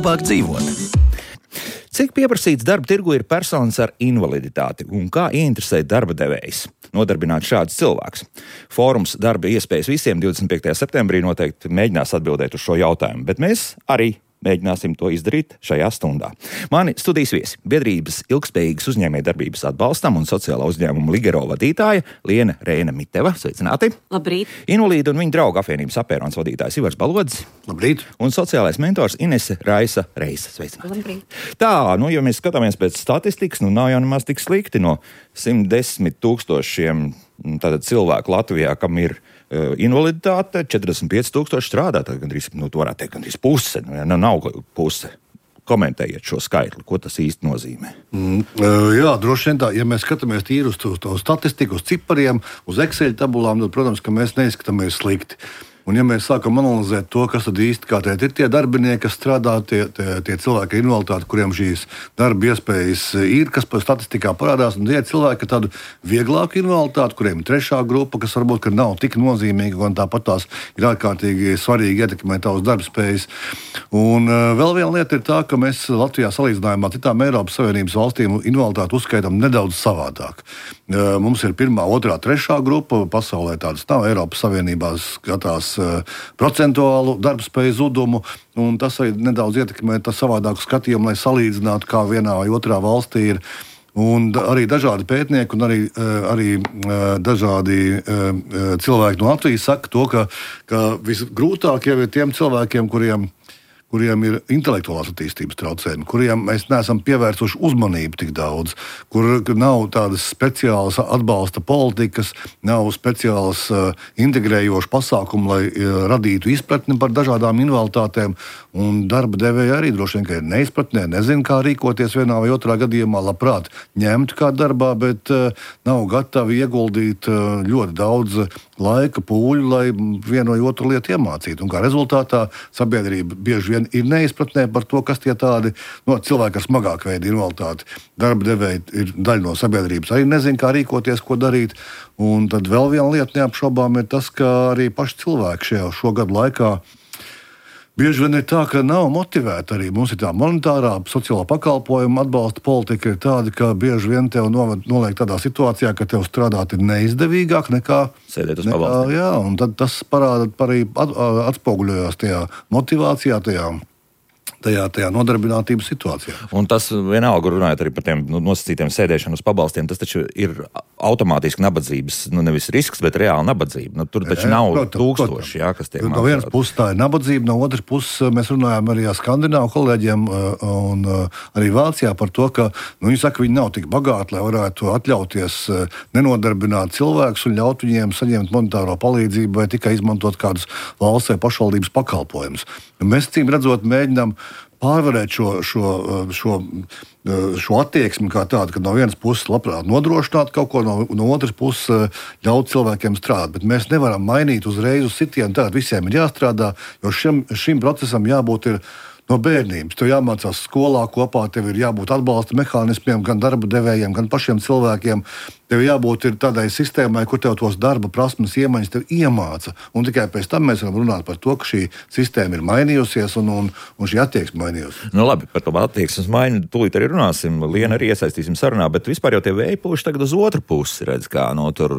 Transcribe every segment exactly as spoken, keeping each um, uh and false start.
labāk dzīvot. Cik pieprasīts darba tirgu ir personas ar invaliditāti un kā ieinteresēt darba devējs? Nodarbināt šādus cilvēkus. Fórums darba iespējas visiem divdesmit piektajā septembrī noteikti mēģinās atbildēt uz šo jautājumu, bet mēs arī mēģināsim to izdarīt šajā stundā. Mani studijas viesi - biedrības ilgspējīgas uzņēmējdarbības atbalstam un sociālā uzņēmuma Ligero vadītāja Liena Reina Miteva. Sveicināti! Labrīt! Invalīdu un viņa draugu apvienības apērons vadītājs Ivars Balodis. Labrīt! Un sociālais mentors Inese Raisa Reisa. Sveicināti! Labrīt! Tā, nu, ja mēs skatāmies pēc statistikas, nu nav jau nemaz tik slikti no simt desmit tūkstošiem tātad cilvēku Latvijā, kam ir uh, invaliditāte, četrdesmit pieci tūkstoši strādā, tad gandrīz, nu, to varētu teikt, gandrīz puse, nu, ja, nav puse. Komentējiet šo skaitli, ko tas īsti nozīmē. Mm, jā, droši vien tā, ja mēs skatāmies tīri uz to, to statistiku, uz cipariem, uz Excel tabulām, tad, protams, ka mēs neizskatāmies slikti. Un, ja mēs sākam analizēt to, kas tad īsti kā teikt, ir tie darbinieki, kas strādā, tie, tie, tie cilvēki ar invaliditāti, kuriem šīs darba iespējas ir, kas par statistikā parādās, un tie cilvēki ar tādu vieglāku invaliditāti, kuriem ir trešā grupa, kas varbūt ka nav tik nozīmīga, un tāpat tās ir ārkārtīgi svarīgi ietekmēt tavas darbspējas. Un uh, vēl viena lieta ir tā, ka mēs Latvijā salīdzinājumā citām Eiropas Savienības valstīm invaliditāti uzskaitam nedaudz savādāk. Uh, mums ir pirmā, otrā, trešā grupa, pasaulē tādas nav, Eiropas Savienībā skatās procentuālu darbspēju zudumu, un tas arī nedaudz ietekmē tā savādāku skatījumu, lai salīdzinātu, kā vienā vai otrā valstī ir. Un arī dažādi pētnieki un arī, arī dažādi cilvēki no Latvijas saka to, ka, ka visgrūtāk jau ir tiem cilvēkiem, kuriem kuriem ir intelektuālās attīstības traucējumi, kuriem mēs neesam pievērsuši uzmanību tik daudz, kur nav tādas speciālas atbalsta politikas, nav speciālas uh, integrējošas pasākumu, lai uh, radītu izpratni par dažādām invaliditātēm, un darba devēja arī droši vien, ka ir neizpratnē, nezin, kā rīkoties vienā vai otrā gadījumā, labprāt ņemt kā darbā, bet uh, nav gatavi ieguldīt uh, ļoti daudz laika, pūļu, lai vienu vai otru lietu iemācītu. Un kā rezultātā sabiedrība bieži vien ir neizpratnē par to, kas tie tādi no, cilvēki ar smagāku veidu invaliditāti. Darba devēji ir daļa no sabiedrības, arī nezin, kā rīkoties, ko darīt. Un tad vēl viena lieta neapšaubām ir tas, ka arī paši cilvēki šajā šo gadu laikā bieži vien ir tā, ka nav motivēti arī. Mums ir tā monetārā, sociālā pakalpojuma atbalsta politika ir tāda, ka bieži vien tev noliek tādā situācijā, ka tev strādāt ir neizdevīgāk nekā sēdēt uz pabalstiem. Jā, un tad tas parāda arī atspoguļojās tajā motivācijā, tajā Tajā, tajā nodarbinātības situācijā. Un tas vienalga, runājot arī par tiem nu, nosacītiem sēdēšanu uz pabalstiem, tas taču ir automātiski nabadzības, nu nevis risks, bet reāli nabadzība. Nu, tur taču jā, nav protams, tūkstoši, protams. Jā, kas tiek no maksāti. Vienas puses tā ir nabadzība, no otras puses mēs runājam arī ar skandināvu kolēģiem un arī Vācijā par to, ka nu, viņi saka, viņi nav tik bagāti, lai varētu atļauties nenodarbināt cilvēkus un ļaut viņiem saņemt monetāro palīdzību vai tikai izmantot kādus valsts vai pašvaldības pakalpojumus. Mēs, cīm redzot, mēģinām pārvarēt šo, šo, šo, šo attieksmi kā tādu, ka no vienas puses labprāt nodrošināt kaut ko, no, no otras puses ļaut cilvēkiem strādāt. Bet mēs nevaram mainīt uzreiz uz sitienu, tātad visiem ir jāstrādā, jo šim, šim procesam jābūt ir no bērnības. Tev jāmācās skolā kopā, tev ir jābūt atbalsta mehānismiem, gan darba devējiem, gan pašiem cilvēkiem. Tev jābūt ir tādai sistēmai, kur tev tos darba prasmes iemaņas tev iemāca. Un tikai pēc tam mēs varam runāt par to, ka šī sistēma ir mainījusies un, un, un šī attieksme mainījusies. Nu labi, par to attieksmes maiņu tūlīt arī runāsim. Lienu arī iesaistīsim sarunā, bet vispār jau tie vēji pūši tagad uz otru pusi, redz, kā no tur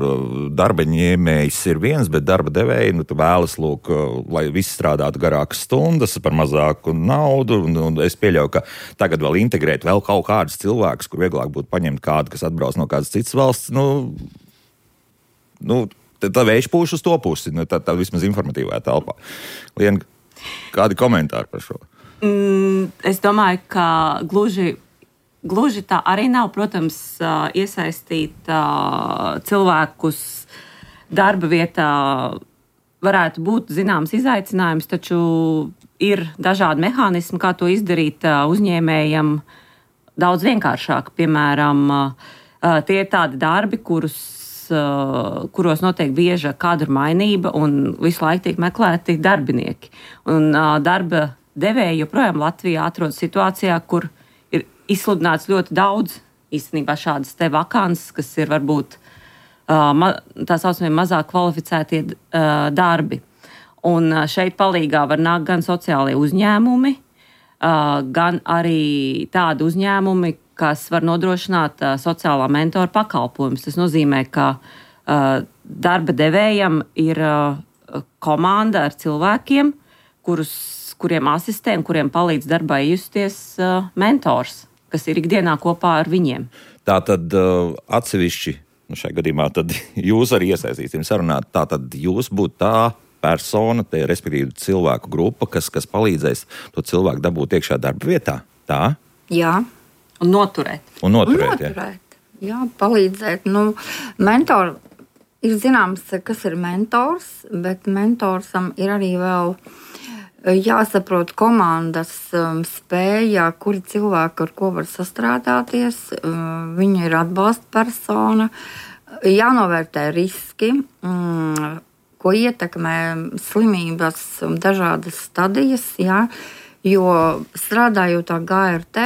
darba ņēmējs ir viens, bet darba devēji, nu tu vēlas, lūk, lai visi strādātu garākas stundas par mazāku naudu, un, un es pieļauju, ka tagad vēl integrēt vēl kaut kādus cilvēkus, kur vieglāk būtu paņemt kādu, kas atbrauc no kādas citas valsts. Nu, nu, tā vējš pūš uz to pusi, nu, tā, tā vismaz informatīvā telpā. Liena, kādi komentāri par šo? Mm, es domāju, ka gluži, gluži tā arī nav, protams, iesaistīt cilvēkus darba vietā varētu būt zināms izaicinājums, taču ir dažādi mehānismi, kā to izdarīt uzņēmējam daudz vienkāršāk. Piemēram, tie ir tādi darbi, kurus, kuros notiek bieža kadru mainība un visu laiku tiek meklēti darbinieki. Un darba devēji joprojām Latvijā atrodas situācijā, kur ir izsludināts ļoti daudz īstenībā šādas te vakances, kas ir varbūt tā saucamie mazāk kvalificētie darbi. Un šeit palīgā var nākt gan sociālie uzņēmumi, gan arī tādi uzņēmumi, kas var nodrošināt sociālā mentora pakalpojumus. Tas nozīmē, ka darba devējam ir komanda ar cilvēkiem, kurus, kuriem asistē un kuriem palīdz darbā justies mentors, kas ir ikdienā kopā ar viņiem. Tā tad uh, atsevišķi, nu šajā gadījumā, tad jūs arī iesaistīsim sarunāt, tā tad jūs būtu tā persona, te, respektīvi cilvēku grupa, kas, kas palīdzēs to cilvēku dabūt iekšā darba vietā. Tā? Jā. Un noturēt. Un noturēt, un noturēt. Jā. jā, palīdzēt. Nu, mentor, ir zināms, kas ir mentors, bet mentorsam ir arī vēl jāsaprot komandas um, spēja, kuri cilvēki ar ko var sastrādāties, um, viņa ir atbalsta persona, jānovērtē riski, um, ko ietekmē slimības un dažādas stadijas, jā, jo strādājot ar G R T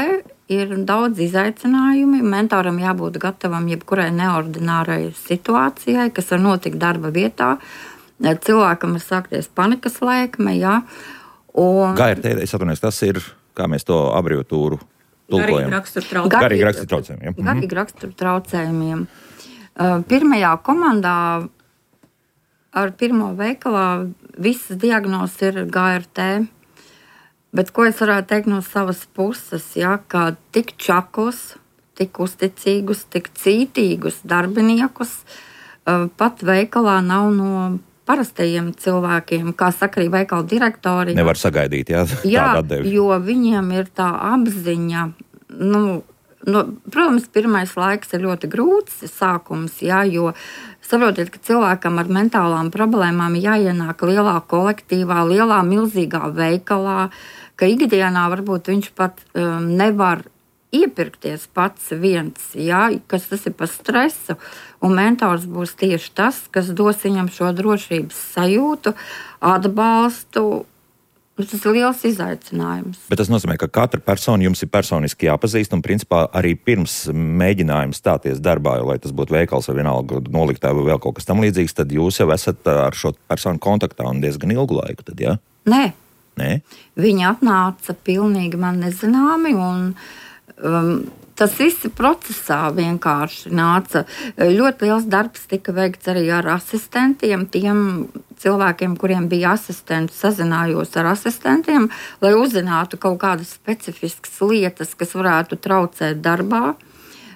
ir daudz izaicinājumi, mentoram jābūt gatavam jebkurai neordinārai situācijai, kas var notikt darba vietā, cilvēkam var sākties panikas lēkme, jā. Un... G R T, es atvainojos, tas ir, kā mēs to abreviatūru tulkojam. Garīgi rakstura traucējumiem. Garīgi rakstura traucējumiem. Mhm. Garīgi rakstura traucējumiem. Uh, pirmajā komandā ar pirmo veikalā visas diagnozes ir G R T, bet ko es varētu teikt no savas puses, ja, ka tik čaklus, tik uzticīgus, tik cītīgus darbiniekus uh, pat veikalā nav no parastajiem cilvēkiem, kā saka arī veikala direktori. Nevar sagaidīt, jā, jā tādu atdevi. Jo viņiem ir tā apziņa, nu, nu, protams, pirmais laiks ir ļoti grūts sākums, jā, jo saprotiet, ka cilvēkam ar mentālām problēmām jāienāk lielā kolektīvā, lielā milzīgā veikalā, ka ikdienā varbūt viņš pat um, nevar iepirkties pats viens, jā, kas tas ir par stresu, un mentors būs tieši tas, kas dos viņam šo drošības sajūtu, atbalstu. Tas ir liels izaicinājums. Bet tas nozīmē, ka katra persona jums ir personiski jāpazīst, un principā arī pirms mēģinājuma stāties darbā, lai tas būtu veikals vai vienalga noliktā vai vēl kaut kas tam līdzīgs, tad jūs jau esat ar šo personu kontaktā un diezgan ilgu laiku, tad, jā? Nē. Nē? Viņi atnāca pilnīgi man nezināmi, un Um, tas viss procesā vienkārši nāca. Ļoti liels darbs tika veikts arī ar asistentiem. Tiem cilvēkiem, kuriem bija asistenti, sazinājos ar asistentiem, lai uzzinātu kaut kādas specifiskas lietas, kas varētu traucēt darbā.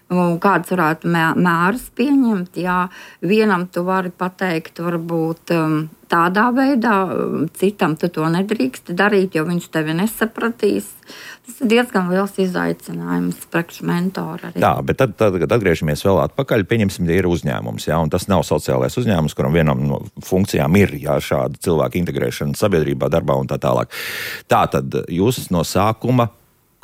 Kādas varētu mērus pieņemt. Jā, vienam tu vari pateikt, varbūt tādā veidā, citam tu to nedrīkst darīt, jo viņš tevi nesapratīs. Tas ir diezgan liels izaicinājums priekš mentora arī. Jā, bet tad, tad, kad atgriežamies vēl atpakaļ, pieņemsim, ja ir uzņēmums, jā, un tas nav sociālais uzņēmums, kuram vienam no funkcijām ir, jā, šāda cilvēka integrēšana sabiedrībā, darbā un tā tālāk. Tā tad jūs no sākuma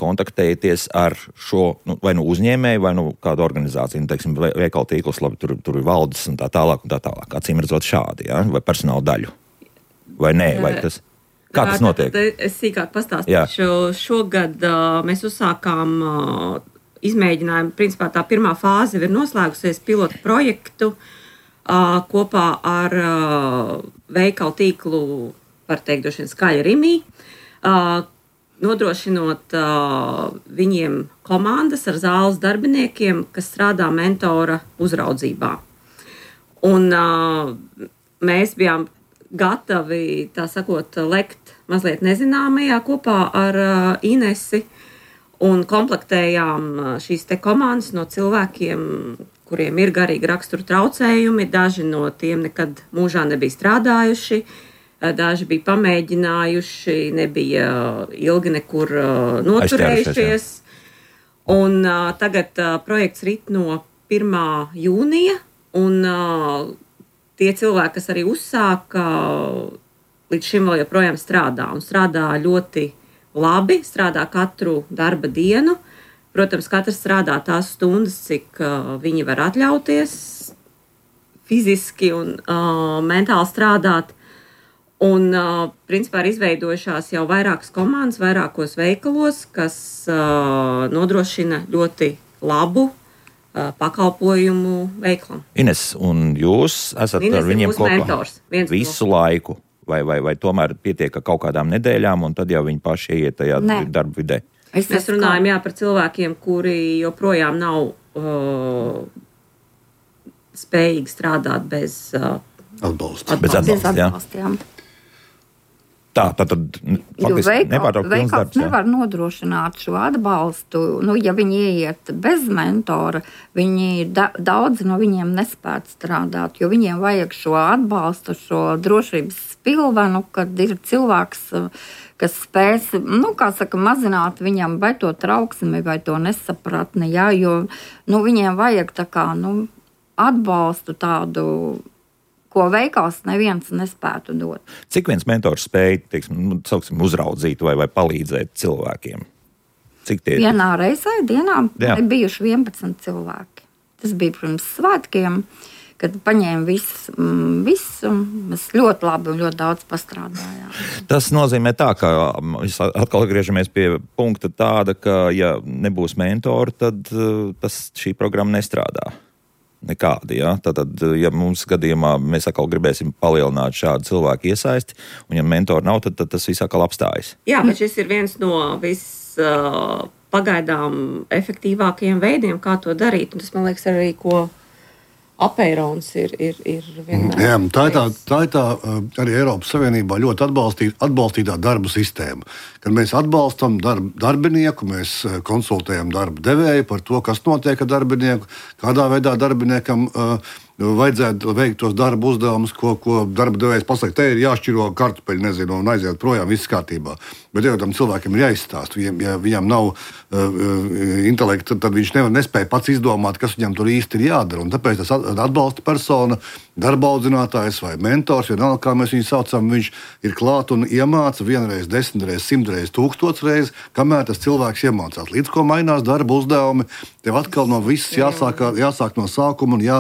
kontaktēties ar šo, nu, vai nu uzņēmēju, vai nu kādu organizāciju, nu, teiksim, veikala tīklus, labi, tur, tur ir valdes un tā tālāk un tā tālāk. Acīm redzot šādi, jā, vai personāla daļu. Vai nē, vai tas, kā tas notiek? Tad es sīkāk pastāstīšu. Šogad uh, mēs uzsākām uh, izmēģinājumu, principā tā pirmā fāze ir noslēgusies pilotu projektu uh, kopā ar uh, veikala tīklu, var teikt, droši vien Skaļa Rimī, uh, nodrošinot uh, viņiem komandas ar zāles darbiniekiem, kas strādā mentora uzraudzībā. Un uh, mēs bijām gatavi, tā sakot, lekt mazliet nezināmajā kopā ar uh, Inesi un komplektējām šīs te komandas no cilvēkiem, kuriem ir garīgi rakstura traucējumi, daži no tiem nekad mūžā nebija strādājuši, daži bija pamēģinājuši, nebija ilgi nekur uh, noturējušies. Un uh, tagad uh, projekts rit no pirmā jūnija, un uh, tie cilvēki, kas arī uzsāka, uh, līdz šim vēl joprojām strādā. Un strādā ļoti labi, strādā katru darba dienu. Protams, katrs strādā tās stundas, cik uh, viņi var atļauties fiziski un uh, mentāli strādāt. Un, uh, principā, ir izveidojušās jau vairākas komandas, vairākos veikalos, kas uh, nodrošina ļoti labu uh, pakalpojumu veiklam. Ines, un jūs esat Ines ar viņiem kopā mentors, visu no... laiku? Vai, vai, vai tomēr pietiek ar kaut kādām nedēļām, un tad jau viņi paši ieiet tajā Nē. darba vidē? Es Mēs runājam jā, par cilvēkiem, kuri joprojām nav uh, spējīgi strādāt bez uh, atbalsta. Bez atbalsta, jā. atbalstiem. Tā, tā tad faktiski nepārtraukt pilns veikals darbs. Jā. Nevar nodrošināt šo atbalstu. Nu, ja viņi ieiet bez mentora, viņi, da, daudzi no viņiem nespētu strādāt, jo viņiem vajag šo atbalstu, šo drošības pilvenu, kad ir cilvēks, kas spēs, nu, kā saka, mazināt viņam vai to trauksmi, vai to nesapratni, jā, jo, nu, viņiem vajag tā kā, nu, atbalstu tādu, ko veikals neviens nespētu dot. Cik viens mentors spēja, teiksim, nu, sauksim, uzraudzīt vai, vai palīdzēt cilvēkiem? Cik tie ir? Vienā reizē dienā Jā. ir bijuši vienpadsmit cilvēki. Tas bija pirms svētkiem, kad paņēma visu, visu. Mēs ļoti labi un ļoti daudz pastrādājām. Tas nozīmē tā, ka mēs atkal atgriežamies pie punkta tāda, ka ja nebūs mentori, tad uh, tas, šī programma nestrādā. Nekādi, ja? Tātad, ja mums gadījumā mēs atkal gribēsim palielināt šādu cilvēku iesaisti, un ja mentori nav, tad, tad tas viss atkal apstājas. Jā, bet šis ir viens no vis uh, pagaidām efektīvākajiem veidiem, kā to darīt. Un tas, man liekas, arī ko Apeirons ir, ir, ir vienmēr. Jā, tā ir tā, tā, ir tā arī Eiropas Savienībā ļoti atbalstīt, atbalstītā darba sistēma. Kad mēs atbalstam darb, darbinieku, mēs konsultējam darba devēju par to, kas notiek ar darbinieku, kādā veidā darbiniekam uh, vajadzētu veikt tos darba uzdevumus, ko, ko darba devējs pasaka, te ir jāšķiro kartupeļi, nezinu, un aiziet projām, viss kārtībā. Bet jau tam cilvēkiem ir jāizstāst. Viņam, ja viņam nav uh, intelekta, tad viņš nevar nespēja pats izdomāt, kas viņam tur īsti ir jādara. Un tāpēc tas atbalsta persona, darba audzinātājs vai mentors, vienalga, kā mēs viņu saucam, viņš ir klāt un iemāca vienreiz, desmitreiz, simtreiz, tūkstošreiz, kamēr tas cilvēks iemācās. Līdz ko mainās darba uzdevumi, tev atkal no viss jāsāk, jāsāk no sākuma un jā,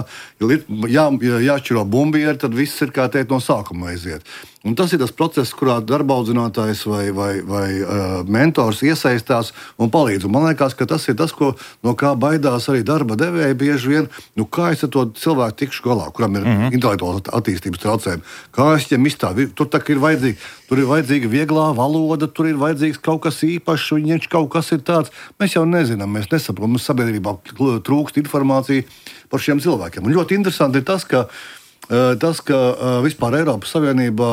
jā, jāšķiro bumbieri, tad viss ir kā teikt no sākuma aiziet. Un tas ir tas process, kurā darba audzinātājs vai, vai, vai uh, mentors iesaistās un palīdz. Un man liekas, ka tas ir tas, ko, no kā baidās arī darba devēji bieži vien. Nu, kā es ar to cilvēku tikšu galā, kuram ir mm-hmm. intelektuāls attīstības traucējumi? Kā es viņam izstāvu? Tur tā ir vajadzīga, tur ir vajadzīga vieglā valoda, tur ir vajadzīgs kaut kas īpašs, viņš kaut kas ir tāds. Mēs jau nezinām, mēs nesaprotam, mums sabiedrībā trūkst informācija par šiem cilvēkiem. Un ļoti interesanti ir tas, ka Tas, ka vispār Eiropas Savienībā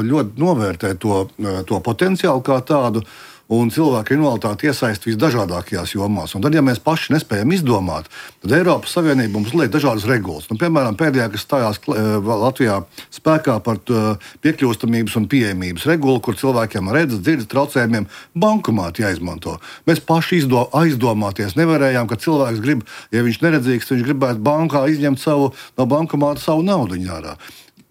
ļoti novērtē to, to potenciālu kā tādu, un cilvēku invaliditāti iesaist visdažādākajās jomās. Un tad, ja mēs paši nespējam izdomāt, tad Eiropas Savienība mums liek dažādas regulas. Nu, piemēram, pēdējā, kas stājās Latvijā spēkā par piekļūstamības un pieejamības regulu, kur cilvēkiem ar redzes, dzirdes traucējumiem bankomāti jāizmanto. Mēs paši izdo, aizdomāties nevarējām, ka cilvēks grib, ja viņš neredzīgs, viņš gribētu bankā izņemt savu, no bankomāta savu naudu ārā.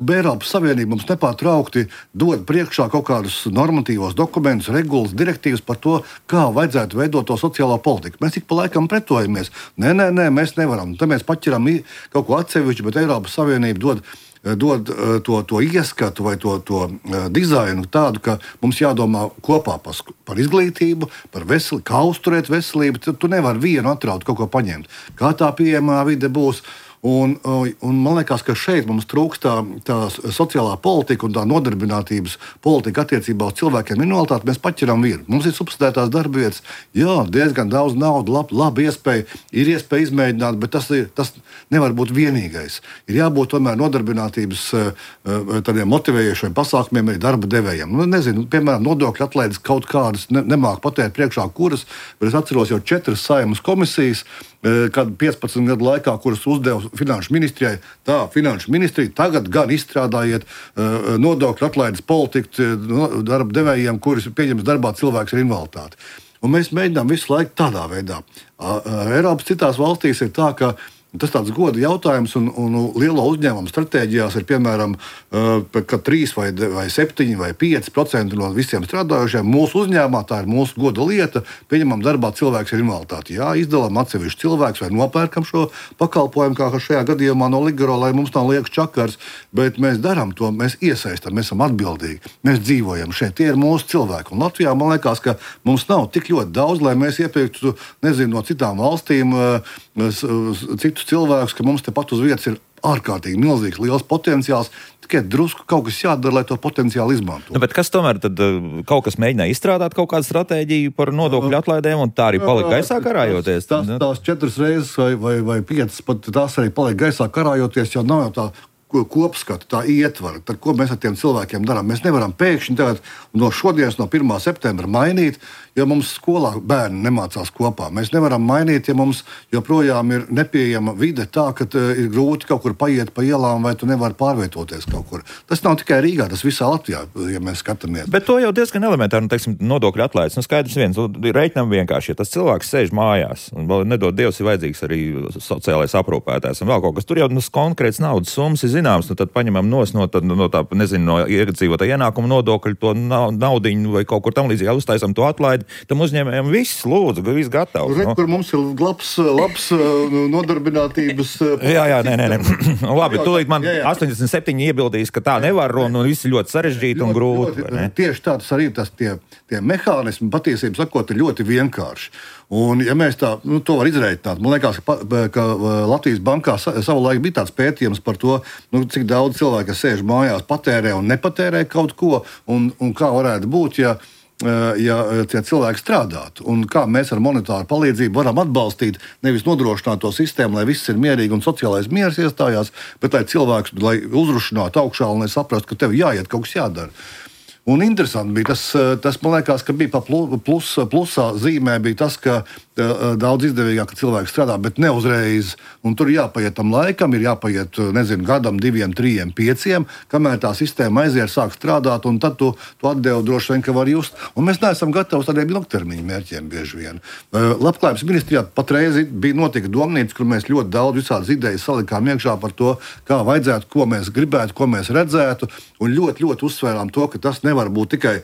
Eiropas Savienība mums nepārtraukti dod priekšā kaut kādus normatīvos dokumentus, regulas, direktīvas par to, kā vajadzētu veidot to sociālo politiku. Mēs ik pa laikam pretojamies. Nē, nē, nē, mēs nevaram. Te mēs paķeram kaut ko atsevišķu, bet Eiropas Savienība dod, dod to, to ieskatu vai to, to dizainu tādu, ka mums jādomā kopā par, par izglītību, par veselību, kā uzturēt veselību. Tu, tu nevari vienu atraut, kaut ko paņemt. Kā tā pieejamā vide būs. Un, un man liekas, ka šeit mums trūkst tā, tā sociālā politika un tā nodarbinātības politika attiecībā uz cilvēkiem invaliditāti. Mēs paķeram vienu. Mums ir subsidētās darba vietas, jā, diezgan daudz naudas, labi, labi iespēja, ir iespēja izmēģināt, bet tas, ir, tas nevar būt vienīgais. Ir jābūt tomēr nodarbinātības tādiem motivējošiem pasākumiem arī darba devējiem. Nu, nezinu, piemēram, nodokļu atlaides kaut kādas ne, nemāk pateikt priekšā kuras, bet es atceros jau četras Saeimas komisijas, kad piecpadsmit gadu laikā, kuras uzdeva Finanšu ministrijai, tā Finanšu ministrija tagad gan izstrādājiet uh, nodokļu atlaides politiku uh, darba devējiem, kuris pieņems darbā cilvēks ar invaliditāti. Un mēs mēģinām visu laiku tādā veidā. Uh, uh, Eiropas citās valstīs ir tā, ka tas tāds goda jautājums, un, un lielo uzņēmumu stratēģijās ir piemēram, ka trīs vai, vai septiņi vai pieci procenti no visiem strādājošiem mūsu uzņēmumā, tā ir mūsu goda lieta, pieņemam darbā cilvēks ar invaliditāti. Jā, izdalām atsevišķu cilvēks vai nopērkam šo pakalpojumu, kā šajā gadījumā no Ligaro, lai mums nav liekas čakars, bet mēs darām to, mēs iesaistam, mēs esam atbildīgi, mēs dzīvojam šeit, tie ir mūsu cilvēki. Un Latvijā man liekas, ka mums nav tik ļoti daudz, lai mēs iepirktu, nezinu, no citām valstīm citu cilvēkus, ka mums tepat uz vietas ir ārkārtīgi milzīgs, liels potenciāls. Tikai drusku kaut kas jādara, lai to potenciāli izmantotu. Nu, bet kas tomēr tad kaut kas mēģināja izstrādāt kaut kādu stratēģiju par nodokļu atlaidēm, un tā arī palika gaisā karājoties? Tās, tās četras reizes vai, vai, vai piecas, pat tās arī palika gaisā karājoties, jo nav jau tā kopskatu, tā ietvara, tad ko mēs ar tiem cilvēkiem darām. Mēs nevaram pēkšņi tagad no šodienas, no pirmā septembra mainīt, jo mums skolā bērni nemācās kopā. Mēs nevaram mainīt, ja mums joprojām ir nepieejama vide tā, ka ir grūti kaut kur paiet pa ielām vai tu nevari pārvietoties kaut kur. Tas nav tikai Rīgā, tas visā Latvijā, ja mēs skatāmies. Bet to jau diezgan elementāri, nu, teiksim, nodokļu atlaides. Nu, skaidrs viens, reiķinām vienkārši, ja tas cilvēks sēž mājās, un vēl nedod Dievs, ir vajadzīgs arī sociālais aprūpētājs un vēl kaut kas. Tur jau nu, konkrēts naudas summas ir zināms, nu tad paņemam nos no, tad, no tā, nezinu, no iedzīvotā ienākuma nodokļu to naudiņu vai kaut kur tam līdzīgi uztaisam to atlaidi. Tam uzņēmējiem viss lūdzu, viss gatavs. Re, no? Kur mums ir labs, labs nodarbinātības... jā, jā, nē, nē, nē. Labi, tūlīt man jā, jā. astoņdesmit septiņi iebildīs, ka tā nevar, un viss ir ļoti sarežģīti un grūti. Ļoti, tieši tā, tas arī tas tie, tie mehānismi, patiesībā sakot, ir ļoti vienkārši. Un, ja mēs tā, nu, to var izreikināt, man liekas, ka, ka Latvijas bankā savulaik bija tāds pētījums par to, nu, cik daudz cilvēku, kas sēž mājās, patērē un nepatērē kaut ko, un, un kā varētu būt, ja, ja tie cilvēki strādātu. Un kā mēs ar monetāru palīdzību varam atbalstīt, nevis nodrošināt to sistēmu, lai viss ir mierīgi un sociālais miers iestājās, bet lai cilvēks, lai uzrušinātu augšā un lai saprastu, ka tev jāiet, kaut kas jādara. Un interesanti bija tas, tas man liekas, ka bija pa plus, plusā zīmē bija tas, ka daudz izdevīgāk, ka cilvēks strādā, bet ne uzreiz. Un tur jāpaiet tam laikam, ir jāpaiet, nezinu, gadam, diviem, trījiem, pieciem, kamēr tā sistēma aiziet, sāk strādāt, un tad tu, tu atdevu droši vien, ka var just. Un mēs neesam gatavi tādiem ilgtermiņa mērķiem bieži vien. Labklājības ministrijā patreiz bija notika domnīca, kur mēs ļoti daudz visādas idejas salikām iekšā par to, kā vajadzētu, ko mēs gribētu, ko mēs redzētu, un ļoti, ļoti uzsvērām to, ka tas nevar būt tikai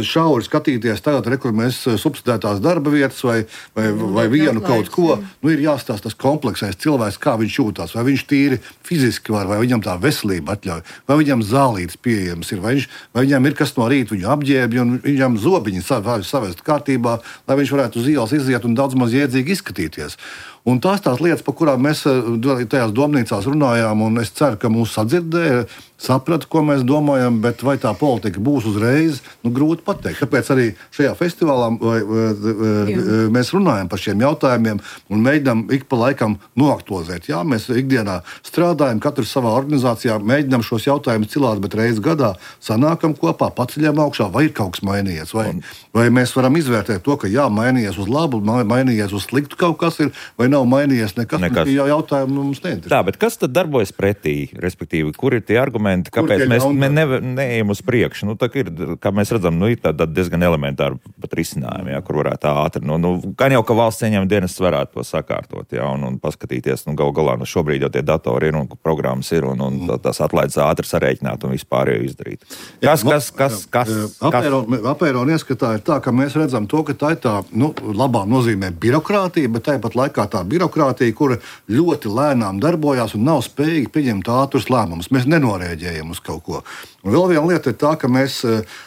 šauri skatīties tagad, re, kur mēs subsidētās darba vietas vai, vai, vai vienu kaut ko. Nu, ir jāstāsta tas kompleksais cilvēks, kā viņš jūtās, vai viņš tīri fiziski var, vai viņam tā veselība atļauj, vai viņam zālītes pieejams ir, vai, viņš, vai viņam ir kas no rīta viņu apģērbj un viņam zobiņi savest kārtībā, lai viņš varētu uz ielas iziet un daudz maz jēdzīgi izskatīties. Un tās tās lietas, par kurām mēs tajās domnīcās runājām, un es ceru, ka mūs sadzirdēja, saprata, ko mēs domājam, bet vai tā politika būs uzreiz, nu grūti pateikt. Tāpēc arī šajā festivālā vai, vai, mēs runājam par šiem jautājumiem un mēģinām ik pa laikam noaktualizēt. Jā, mēs ikdienā strādājam, katrs savā organizācijā, mēģinām šos jautājumus cilāt, bet reiz gadā sanākam kopā, paceļam augšā, vai ir kaut kas mainījies, vai, vai mēs varam izvērtēt to, ka jā, mainījies uz labu, mainījies uz sliktu kaut kas ir, vai nav mainījies nekas, nekas. Jau jautājumu mums neinteresē. Tā, bet kas tad darbojas pretī, respektīvi, kur ir tie argumenti, kāpēc mēs ne, ne, neejam uz priekšu? Nu, tā ir, kā mēs redzam, nu, ir tāda diezgan elementāra pat risinājumi, jā, kur varētu ātri, nu, nu, gan jau, ka valsts ieņem dienas varētu to sakārtot, jā, un, un paskatīties, nu, gal galā, nu, šobrīd jau tie datori ir un programmas ir, un, un tās atlaides ātri sarēķināt un vispār jau izdarīt. Kas, kas, kas, kas? Apēron ieskatā ir tā, ka mēs redzam to, ka tā ir tā, nu, labā nozīmē birokrātija, bet tāpat laikā tā birokrātija, kura ļoti lēnām darbojās un nav spējīga pieņemt ātrus lēmumus. Mēs nenorēģējam uz kaut ko. Un vēl viena lieta ir tā, ka, mēs,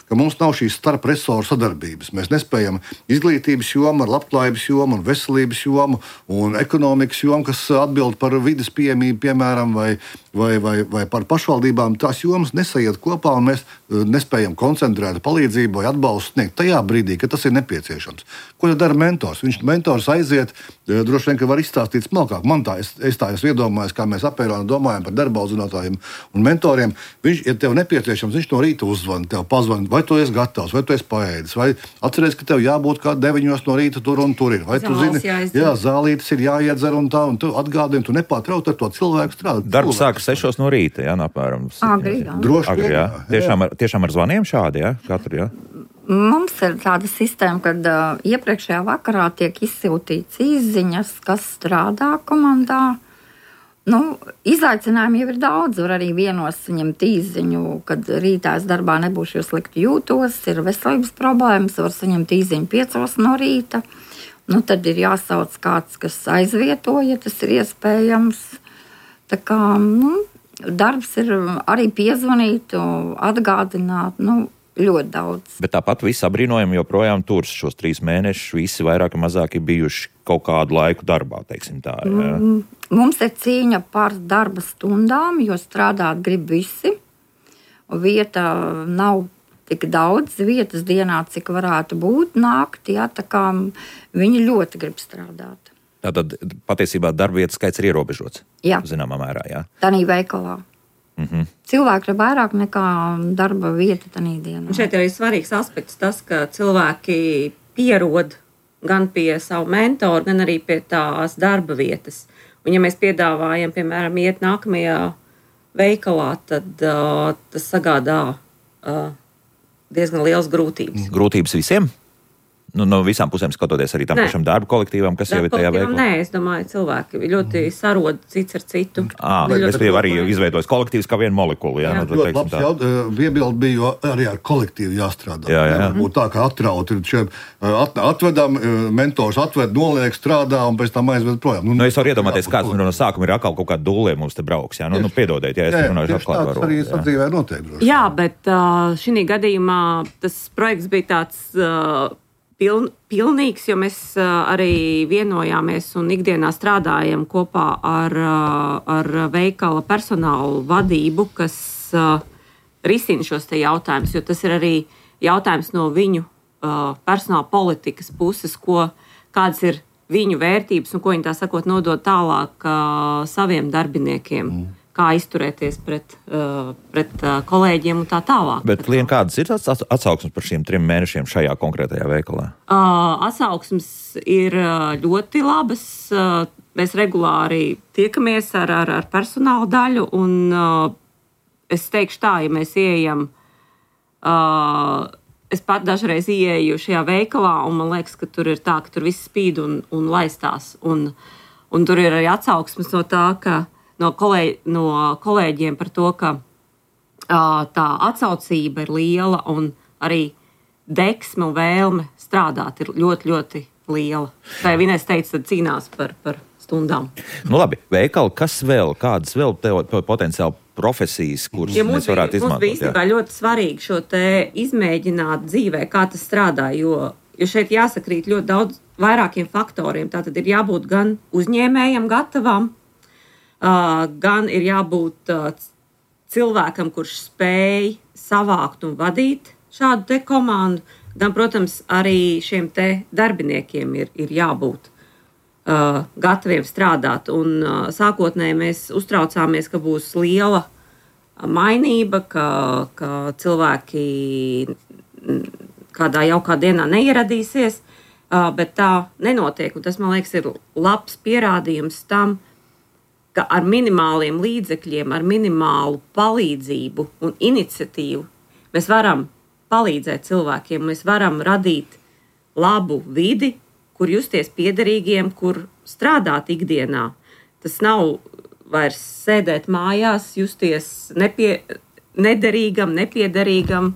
ka mums nav šīs starp resoru sadarbības. Mēs nespējam izglītības jomu ar labklājības jomu un veselības jomu un ekonomikas jomu, kas atbild par vides pieejamību, piemēram, vai, vai, vai, vai par pašvaldībām. Tās jomas nesaiet kopā un mēs nespējam koncentrēt palīdzību vai atbalstu sniegt tajā brīdī, kad tas ir nepieciešams. Ko tad dara mentors? Viņš mentors aiziet, droši vien, ka var izstāstīt smalkāk. Man tā, es, es tā esmu iedomājis, kā mēs Apēronā domājam par darba audzinātājiem un mentoriem. Viņš, ja tev nepieciešams, viņš no rīta uzzvana, tev pazvana, vai tu esi gatavs, vai tu esi paēdis, vai atceries, ka tev jābūt kā deviņos no rīta tur un tur ir. Vai tu zini, jā, zālītes ir jāiedzer un tā, un tu atgādini, tu nepārtrauc ar to cilvēku strādāt. Darbs sākas sešos no rīta, jā, apmēram. Agri, jā. Droši, Agri, jā. Tiešām ar, tiešām ar zvaniem šādi, jā, katru, jā. Mums ir tāda sistēma, kad uh, iepriekšējā vakarā tiek izsūtīts īsziņas, kas strādā komandā. Nu, izaicinājumi jau ir daudz. Var arī vienos saņemt īsziņu, kad rītā es darbā nebūšu, jo slikti jūtos, ir veselības problēmas, var saņemt īsziņu piecos no rīta. Nu, tad ir jāsauc kāds, kas aizvieto, ja tas ir iespējams. Tā kā, nu, darbs ir arī piezvanīt, atgādināt, nu, ļoti daudz. Bet tāpat visi apbrīnojami joprojām tur šos trīs mēnešus, visi vairāk vai mazāk ir bijuši kaut kādu laiku darbā, teiksim tā. Jā. Mums ir cīņa par darba stundām, jo strādāt grib visi. Vieta nav tik daudz vietas dienā, cik varētu būt nākt, jā, tā kā viņi ļoti grib strādāt. Tātad patiesībā darba vietas skaits ir ierobežots. Jā. Zināmā mērā, jā. Tanī veikalā. Mm-hmm. Cilvēki ir vairāk nekā darba vieta tanī dienā. Un šeit ir arī svarīgs aspekts tas, ka cilvēki pierod gan pie savu mentoru, gan arī pie tās darba vietas. Un ja mēs piedāvājam, piemēram, iet nākamajā veikalā, tad uh, tas sagādā uh, diezgan liels grūtības. Grūtības visiem? Nu, no visām pusēm skatoties arī tam pašam darba kolektīvam, kas darba jau ir tajā veiklā? Nē, es domāju, cilvēki ļoti sarod cits ar citu. Ā, es biju arī izveidojis kolektīvs kā vienu molekulu. Jā, jā. Nu, ļoti labs jaut, iebildi bija, jo arī ar kolektīvu jāstrādā. Jā, jā. Būtu tā, kā atrauti. At, atvedam, mentors atved, noliek, strādā un pēc tam aizved projām. Nu, nu, es varu iedomāties, kāds no sākuma ir atkal kaut kādi dūlē mums te brauks. Jā, nu, nu piedodiet, ja es runāšu atklāt varu. Arī sadzīvē noteikti. Jā, bet uh, šī gadījumā tas projekts bija tāds uh, Piln, pilnīgs, jo mēs uh, arī vienojāmies un ikdienā strādājam kopā ar, uh, ar veikala personālu vadību, kas uh, risina šos te jautājumus, jo tas ir arī jautājums no viņu uh, personāla politikas puses, ko, kādas ir viņu vērtības un ko viņi tā sakot nodod tālāk uh, saviem darbiniekiem. Mm. Kā izturēties pret, uh, pret uh, kolēģiem un tā tālāk. Bet, Lien, kādas ir atsauksmes par šiem trim mēnešiem šajā konkrētajā veikalā? Uh, atsauksmes ir ļoti labas. Uh, mēs regulāri tiekamies ar, ar, ar personāla daļu, un uh, es teikšu tā, ja mēs ieejam, uh, es pat dažreiz ieeju šajā veikalā, un man liekas, ka tur ir tā, ka tur viss spīd un, un laistās. Un, un tur ir arī atsauksmes no tā, ka No, kolēģi, no kolēģiem par to, ka uh, tā atsaucība ir liela un arī deksme un vēlme strādāt ir ļoti, ļoti liela. Tā jau Inês teica, tad cīnās par, par stundām. Nu labi, veikali, kas vēl, kādas vēl tev potenciāli profesijas, kuras ja mēs varētu izmantot? Mums bija īstenībā ļoti svarīgi šo te izmēģināt dzīvē, kā tas strādā, jo, jo šeit jāsakrīt ļoti daudz vairākiem faktoriem. Tātad ir jābūt gan uzņēmējam gatavam, Uh, gan ir jābūt uh, cilvēkam, kurš spēj savākt un vadīt šādu te komandu, gan, protams, arī šiem te darbiniekiem ir, ir jābūt uh, gataviem strādāt. Un uh, sākotnēji mēs uztraucāmies, ka būs liela mainība, ka, ka cilvēki kādā jaukā dienā neieradīsies, uh, bet tā nenotiek. Un tas, man liekas, ir labs pierādījums tam, ka ar minimāliem līdzekļiem, ar minimālu palīdzību un iniciatīvu mēs varam palīdzēt cilvēkiem, mēs varam radīt labu vidi, kur justies piederīgiem, kur strādāt ikdienā. Tas nav vairs sēdēt mājās, justies nepie, nederīgam, nepiederīgam.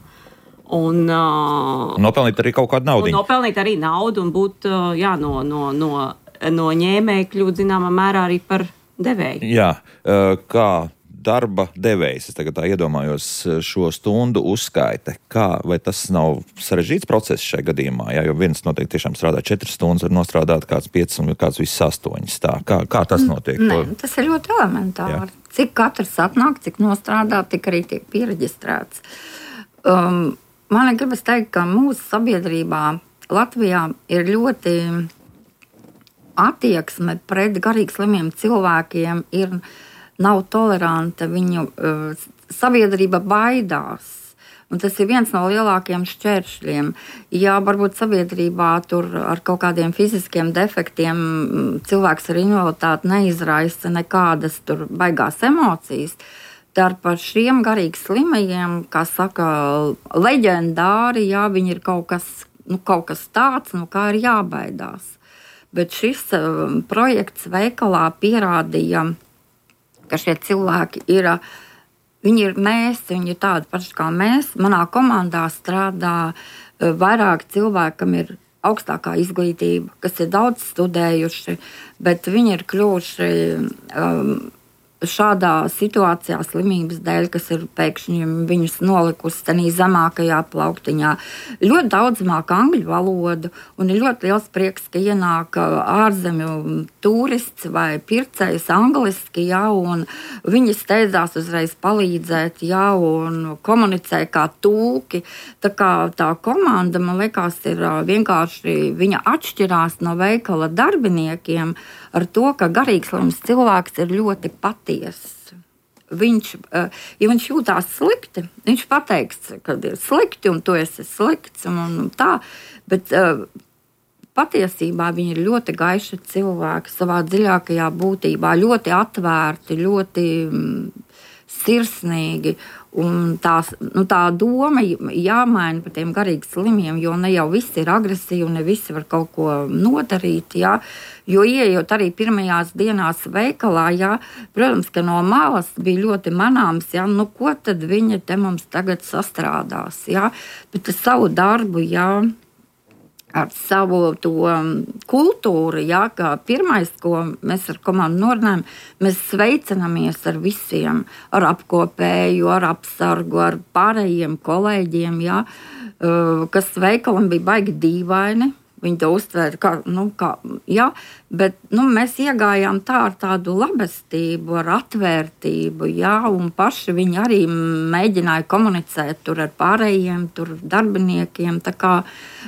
Un, uh, nopelnīt arī kaut kādu naudu. Nopelnīt arī naudu un būt uh, jā, no, no, no, no ņēmēja kļūt zināmā mērā arī par devēju. Jā, kā darba devējs, es tagad tā iedomājos šo stundu uzskaite, kā, vai tas nav sarežģīts process šajā gadījumā, jā, jo viens noteikti tiešām strādā četras stundas, var nostrādāt kāds piecas un kāds viss astoņas, tā, kā, kā tas notiek? Nē, tas ir ļoti elementāri. Jā. Cik katrs atnāk, cik nostrādā, tik arī tiek piereģistrēts. Um, man gribas teikt, ka mūsu sabiedrībā Latvijā ir ļoti attieksme pret garīgi slimiem cilvēkiem ir, nav toleranta, viņu uh, sabiedrība baidās. Un tas ir viens no lielākajiem šķēršļiem. Ja varbūt sabiedrībā tur ar kaut kādiem fiziskiem defektiem cilvēks ar invaliditāti neizraisa nekādas tur baigās emocijas, tad par šiem garīgi slimajiem, kā saka, leģendāri, jā, viņi ir kaut kas, nu, kaut kas tāds, nu, kā ir jābaidās. Bet šis um, projekts veikalā pierādīja, ka šie cilvēki ir, viņi ir mēs, viņi ir tādi paši kā mēs. Manā komandā strādā uh, vairāk cilvēki, kam ir augstākā izglītība, kas ir daudz studējuši, bet viņi ir kļuvuši um, šādā situācijā slimības dēļ, kas ir pēkšņi viņus nolikusi tenī zemākajā plauktiņā. Ļoti daudz māca angļu valodu, un ir ļoti liels prieks, ka ienāk ārzemju turists vai pircējs angliski, jā, un viņi steidzās uzreiz palīdzēt, jā, un komunicē kā tūki. Tā kā tā komanda, man liekas, ir vienkārši, viņa atšķirās no veikala darbiniekiem ar to, ka garīgslims cilvēks ir ļoti patiess. Viņš, ja viņš jūtās slikti, viņš pateiks, ka ir slikti un tu esi slikts un tā, bet patiesībā viņi ir ļoti gaiši cilvēki savā dziļākajā būtībā, ļoti atvērti, ļoti sirsnīgi. Un tās, nu, tā doma jāmaina par tiem garīgi slimiem, jo ne jau visi ir agresīvi, ne visi var kaut ko nodarīt. Jā. Jo ieejot arī pirmajās dienās veikalā, jā, protams, ka no malas bija ļoti manāms, jā, nu, ko tad viņi te mums tagad sastrādās. Jā. Bet ar savu darbu, jā, ar savu to kultūru, jā, kā pirmais, ko mēs ar komandu norunājam, mēs sveicinamies ar visiem, ar apkopēju, ar apsargu, ar pārējiem kolēģiem, jā, kas veikalam bija baigi dīvaini. Viņi to uztvēra, kā, nu, kā, jā, bet nu, mēs iegājām tā ar tādu labestību, ar atvērtību, jā, un paši viņi arī mēģināja komunicēt tur ar pārējiem, tur darbiniekiem. Tā kā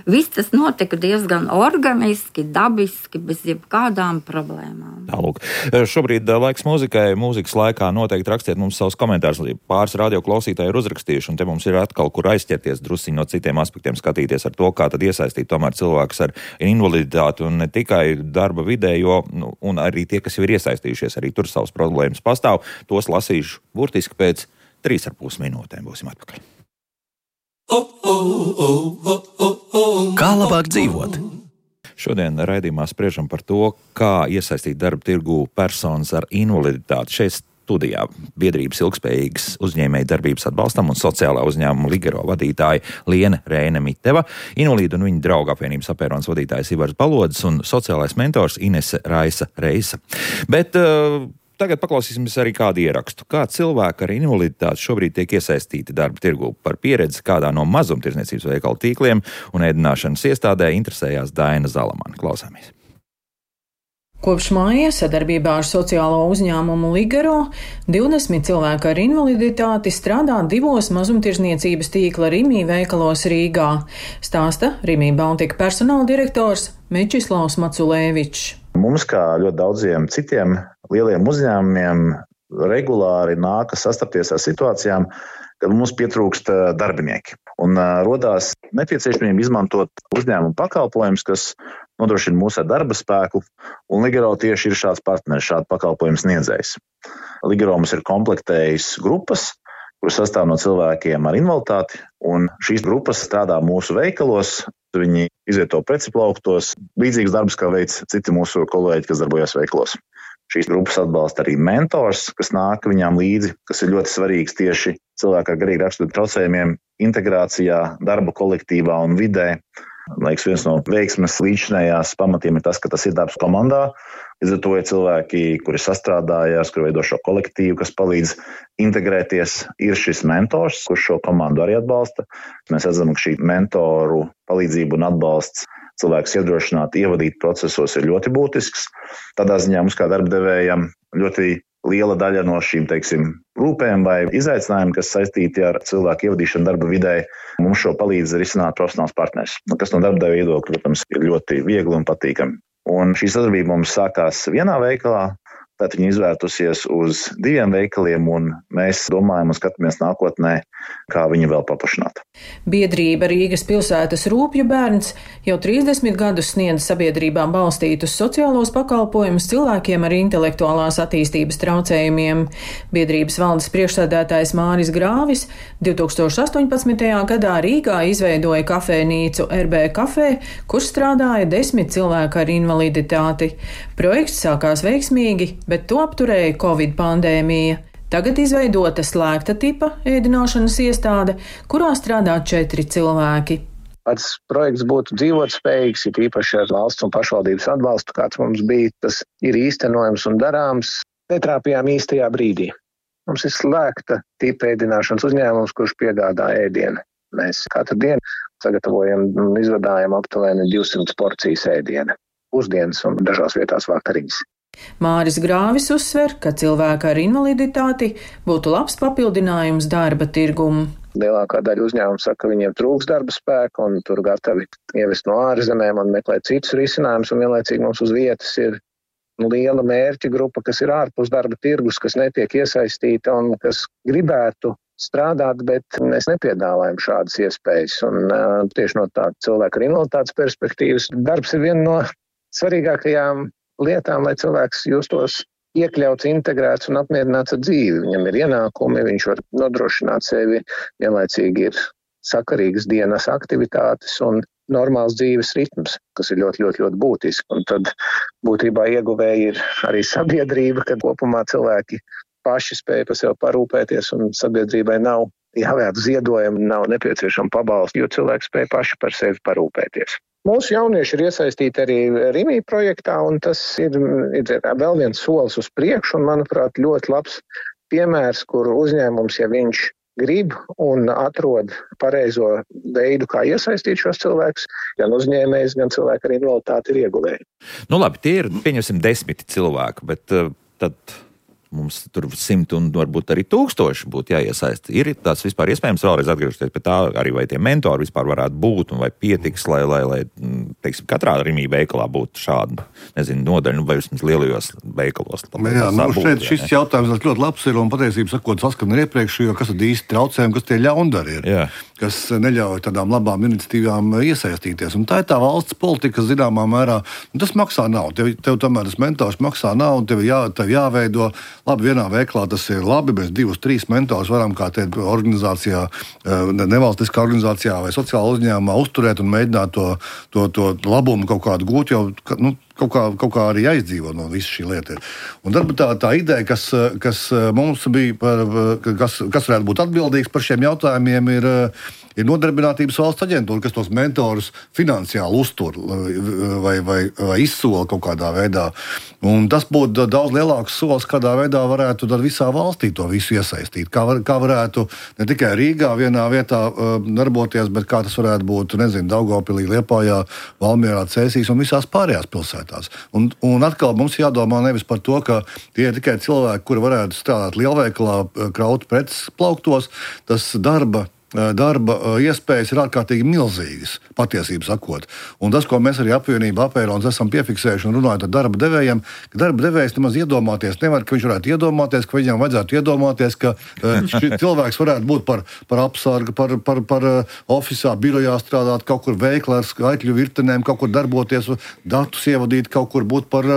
viss tas notika diezgan organiski, dabiski, bez jebkādām problēmām. Tālūk. Šobrīd laiks mūzikai. Mūzikas laikā noteikti rakstiet mums savus komentārus. Pāris radio klausītāji ir uzrakstījuši, un te mums ir atkal, kur aizķerties drusciņi no citiem aspektiem, skatīties ar to, kā tad iesaistīt tomēr cilvēkus ar invaliditāti un ne tikai darba vidē, jo, nu, un arī tie, kas jau ir iesaistījušies, arī tur savas problēmas pastāv. Tos lasīšu burtiski pēc trīs ar pus minūtēm. Būsim atpakaļ. Kā labāk dzīvot? Šodien raidījumā spriežam par to, kā iesaistīt darba tirgū personas ar invaliditāti. Šeit studijā biedrības ilgspējīgas uzņēmēju darbības atbalstam un sociālā uzņēmuma Ligero vadītāja Liene Rēne Miteva, invalīdu un viņa draugu apvienības Apēronas vadītājs Ivars Balodis un sociālais mentors Inese Raisa Reisa. Bet uh, tagad paklausīsimies arī kādu ierakstu. Kā cilvēki ar invaliditāti šobrīd tiek iesaistīti darba tirgū. Par pieredzi kādā no mazumtirdzniecības veikalu tīkliem un ēdināšanas iestādē interesējās Daina Zalamane. Klausāmies. Kopš māja sadarbībā ar sociālo uzņēmumu Ligero divdesmit cilvēki ar invaliditāti strādā divos mazumtirdzniecības tīkla Rimī veikalos Rīgā, stāsta Rimī Baltika personāla direktors Mečislavs Maculēvičs. Mums, kā ļoti daudziem citiem lieliem uzņēmumiem, regulāri nākas sastapties ar situācijām, kad mums pietrūkst darbinieki. Un uh, rodās nepieciešamība izmantot uzņēmumu pakalpojumus, kas nodrošina mūsu darba spēku, un Ligero tieši ir šāds partneris, šāds pakalpojumu sniedzējs. Ligero mums ir komplektējis grupas, kuras sastāv no cilvēkiem ar invaliditāti, un šīs grupas strādā mūsu veikalos, viņi izvieto preci plauktos, līdzīgas darbus, kā veic citi mūsu kolēģi, kas darbojas veikalos. Šīs grupas atbalsta arī mentors, kas nāk viņām līdzi, kas ir ļoti svarīgs tieši cilvēku ar garīgi rakstura traucējumiem integrācijā, darba kolektīvā un vidē. Liekas, viens no veiksmes līdzinājās pamatiem ir tas, ka tas ir darbs komandā. Līdz ar to ir cilvēki, kuri sastrādājās, kuri veido šo kolektīvu, kas palīdz integrēties, ir šis mentors, kurš šo komandu arī atbalsta. Mēs redzam, ka šī mentoru palīdzība un atbalsts cilvēkus iedrošināt, ievadīt procesos ir ļoti būtisks. Tādā ziņā mums kā darbdevējam ļoti liela daļa no šīm, teiksim, rūpēm vai izaicinājumiem, kas saistīti ar cilvēku ievadīšanu darba vidē, mums šo palīdz risināt profesionāls partners, kas no darbdevēja viedokļa, protams, ir ļoti viegli un patīkami. Un šī sadarbība mums sākās vienā veikalā, tad viņa izvērtusies uz diviem veikaliem, un mēs domājam un skatāmies nākotnē, kā viņu vēl paplašināt. Biedrība Rīgas pilsētas Rūpju bērns jau trīsdesmit gadus sniedz sabiedrībā balstītus sociālos pakalpojumus cilvēkiem ar intelektuālās attīstības traucējumiem. Biedrības valdes priekšsēdētājs Māris Grāvis divi tūkstoši astoņpadsmitajā gadā Rīgā izveidoja kafejnīcu R B Kafē, kur strādāja desmit cilvēki ar invaliditāti. Projekts sākās veiksmīgi, bet to apturēja Covid pandēmija. Tagad izveidota slēgta tipa ēdināšanas iestāde, kurā strādā četri cilvēki. Pats projekts būtu dzīvotspējīgs, ir īpaši ar valsts un pašvaldības atbalstu, kāds mums bija, tas ir īstenojams un darāms. netrāpījām īstajā brīdī. Mums ir slēgta tipa ēdināšanas uzņēmums, kurš piegādā ēdienu. Mēs katru dienu sagatavojam un izvadājam aptuveni divsimt porcijas ēdiena, pusdienas un dažās vietās vakariņas. Māris Grāvis uzsver, ka cilvēki ar invaliditāti būtu labs papildinājums darba tirgumu. Lielākā daļa uzņēmumu saka, ka viņiem trūks darba spēka un tur gatavi ievest no ārzemēm un meklēt citus risinājumus, un vienlaicīgi mums uz vietas ir liela mērķa grupa, kas ir ārpus darba tirgus, kas netiek iesaistīta un kas gribētu strādāt, bet mēs nepiedāvājam šādas iespējas. Un uh, tieši no tā cilvēka ar invaliditātes perspektīvas darbs ir viena no svarīgākajām lietām, lai cilvēks justos iekļauts, integrēts un apmierināts ar dzīvi. Viņam ir ienākumi, viņš var nodrošināt sevi, vienlaicīgi ir sakarīgas dienas aktivitātes un normāls dzīves ritms, kas ir ļoti, ļoti, ļoti būtiski. Un tad būtībā ieguvēji ir arī sabiedrība, kad kopumā cilvēki paši spēja par sevi parūpēties un sabiedrībai nav jāvērt ziedojumi, nav nepieciešama pabalsta, jo cilvēki spēja paši par sevi parūpēties. Mūsu jaunieši ir iesaistīti arī Rimī projektā, un tas ir, ir vēl viens solis uz priekšu, un, manuprāt, ļoti labs piemērs, kur uzņēmums, ja viņš grib un atrod pareizo veidu, kā iesaistīt šos cilvēkus, gan uzņēmējs, gan cilvēki ar invaliditāti ir ieguvēji. Nu labi, tie ir, pieņemsim, desmiti cilvēki, bet uh, tad mums tur simt un varbūt arī tūkstoši būtu jāiesaist. Ir tas vispār iespējams vēlreiz atgriežoties pie tā, arī vai tie mentori vispār varētu būt un vai pietiks, lai, lai, lai teiksim, katrā Rimī veikalā būtu šāda, nezinu, nodaļa, vai vismaz lielajos veikalos. Jā, nu būt, šeit šis ne? jautājums ļoti labs ir un patiesībā sakot saskan ar iepriekšējo, kas tad īsti traucējumi, kas tie ļaundari ir, jā. Kas neļauj tādām labām iniciatīvām iesaistīties. Un tā ir tā valsts politika, kas zināmā mērā, nu, tas maksā naudu. Tev, tev tomēr tas mentors maksā naudu, tev, jā, tev jāveido. Labi, vienā veiklā tas ir labi, mēs divus, trīs mentors varam kā te organizācijā, nevalstiskā organizācijā vai sociāla uzņēmumā uzturēt un mēģināt to, to, to labumu kaut kādu gūt, jo, nu, kaut kā, kaut kā arī aizdzīvo no visa šī lieta. Un tad tā, tā ideja, kas, kas mums bija, par, kas, kas varētu būt atbildīgs par šiem jautājumiem, ir, ir Nodarbinātības valsts aģentūra, kas tos mentorus finansiāli uztur vai, vai, vai izsola kaut kādā veidā. Un tas būtu daudz lielāks solis, kādā veidā varētu visā valstī to visu iesaistīt. Kā, var, kā varētu ne tikai Rīgā vienā vietā uh, darboties, bet kā tas varētu būt, nezinu, Daugavpilī, Liepājā, Valmierā, Cēsīs un visās pārējās pilsētās. Un, un atkal mums jādomā nevis par to, ka tie ir tikai cilvēki, kuri varētu strādāt lielveikalā, kraut preces plauktos, tas darba darba iespējas ir ārkārtīgi milzīgas, patiesībā sakot. Un tas, ko mēs arī apvienībā apērons esam piefiksējuši un runājot ar darba devējiem, ka darba devējs nemaz iedomāties nevar, ka viņš varētu iedomāties, ka viņam vajadzētu iedomāties, ka šis cilvēks varētu būt par, par apsargu, par, par, par ofisā, birojā strādāt, kaut kur veiklā ar skaitļu virtenēm, kaut kur darboties, datus ievadīt, kaut kur būt par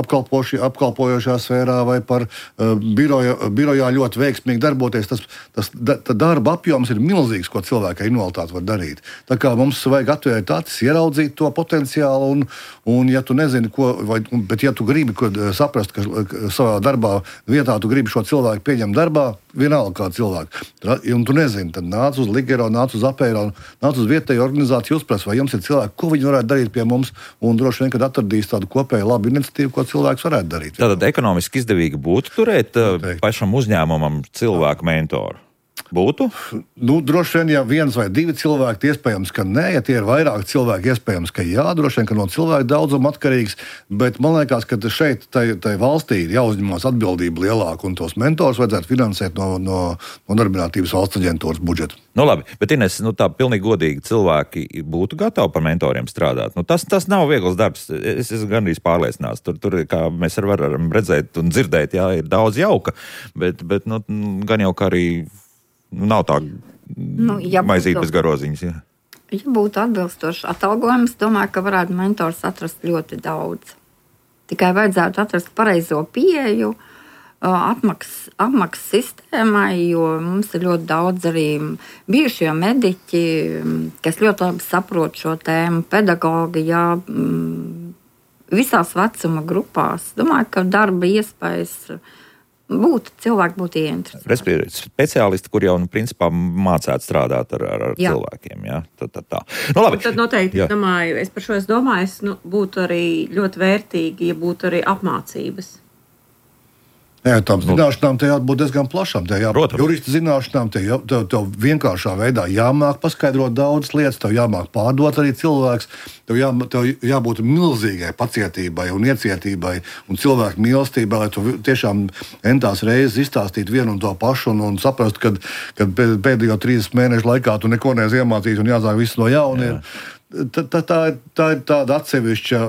apkalpojošā sfērā vai par biroja, birojā ļoti veiksmīgi darboties. Tas, tas, tas darba apjoms ir milzīgs, ko cilvēki ar invaliditāti var darīt. Tā kā mums vajag atvērt acis, ieraudzīt to potenciālu, un, un ja tu nezini, ko, vai, bet ja tu gribi ko, saprast, ka savā darbā vietā tu gribi šo cilvēku pieņemt darbā, vienalga kā cilvēku, un tu nezini, tad nāc uz Ligero, nāc uz Apēro, nāc uz vietēju organizāciju uzprast, vai jums ir cilvēki, ko viņi varētu darīt pie mums, un droši vien, kad atradīs tādu kopēju labu iniciatīvu, ko cilvēks varētu darīt. Tātad ekonomiski izdevīgi būtu turēt Noteikti. pašam uzņēmumam cilvēku mentoru? Būtu? Nu, droši vien, ja viens vai divi cilvēki, iespējams, ka nē, ja tie ir vairāk cilvēki, iespējams, ka jā, droši vien, ka no cilvēku daudzuma atkarīgs, bet man liekas, ka šeit tai, tai valstī ir jāuzņemās atbildība lielāka, un tos mentors vajadzētu finansēt no, no, no Nodarbinātības valsts aģentūras budžeta. Nu labi, bet Ines, nu tā pilnīgi godīgi cilvēki būtu gatavi par mentoriem strādāt. Nu, tas, tas nav viegls darbs, es esmu gandrīz pārliecināts. Tur, tur, kā mēs varam redzēt un dzirdēt, jā, ir daudz jauka, bet, bet nu, gan jau kā arī nav tā nu, ja maizīt bez garoziņas. Jā. Ja būtu atbilstošs atalgojums, domāju, ka varētu mentors atrast ļoti daudz. Tikai vajadzētu atrast pareizo pieeju atmaksas, atmaksas sistēmai, jo mums ir ļoti daudz arī bijušie mediķi, kas ļoti labi saprot šo tēmu, pedagogi, jā, visās vecuma grupās. Domāju, ka darba iespējas būtu, cilvēki būtu ieinteresēti. Respektīvi, speciālisti, kur jau, nu, principā mācētu strādāt ar, ar, ar cilvēkiem, jā? Tā, tā, tā. Nu, labi. Un tad noteikti, jā. domāju, es par šo es domāju, es, nu, būtu arī ļoti vērtīgi, ja būtu arī apmācības. Jā, tām zināšanām te jābūt diezgan plašām. Te jābūt jurista zināšanām, te, jā, tev, tev vienkāršā veidā jāmāk paskaidrot daudzas lietas, tev jāmāk pārdot arī cilvēks, tev, jā, tev jābūt milzīgai pacietībai un iecietībai un cilvēku mīlestībai, lai tu tiešām entās reizes izstāstītu vienu un to pašu un, un saprast, ka pēdējo trīsdesmit mēnešu laikā tu neko neesi iemācījis un jāsāk viss no jauna. Tā, tā, tā, tā ir tāda atsevišķa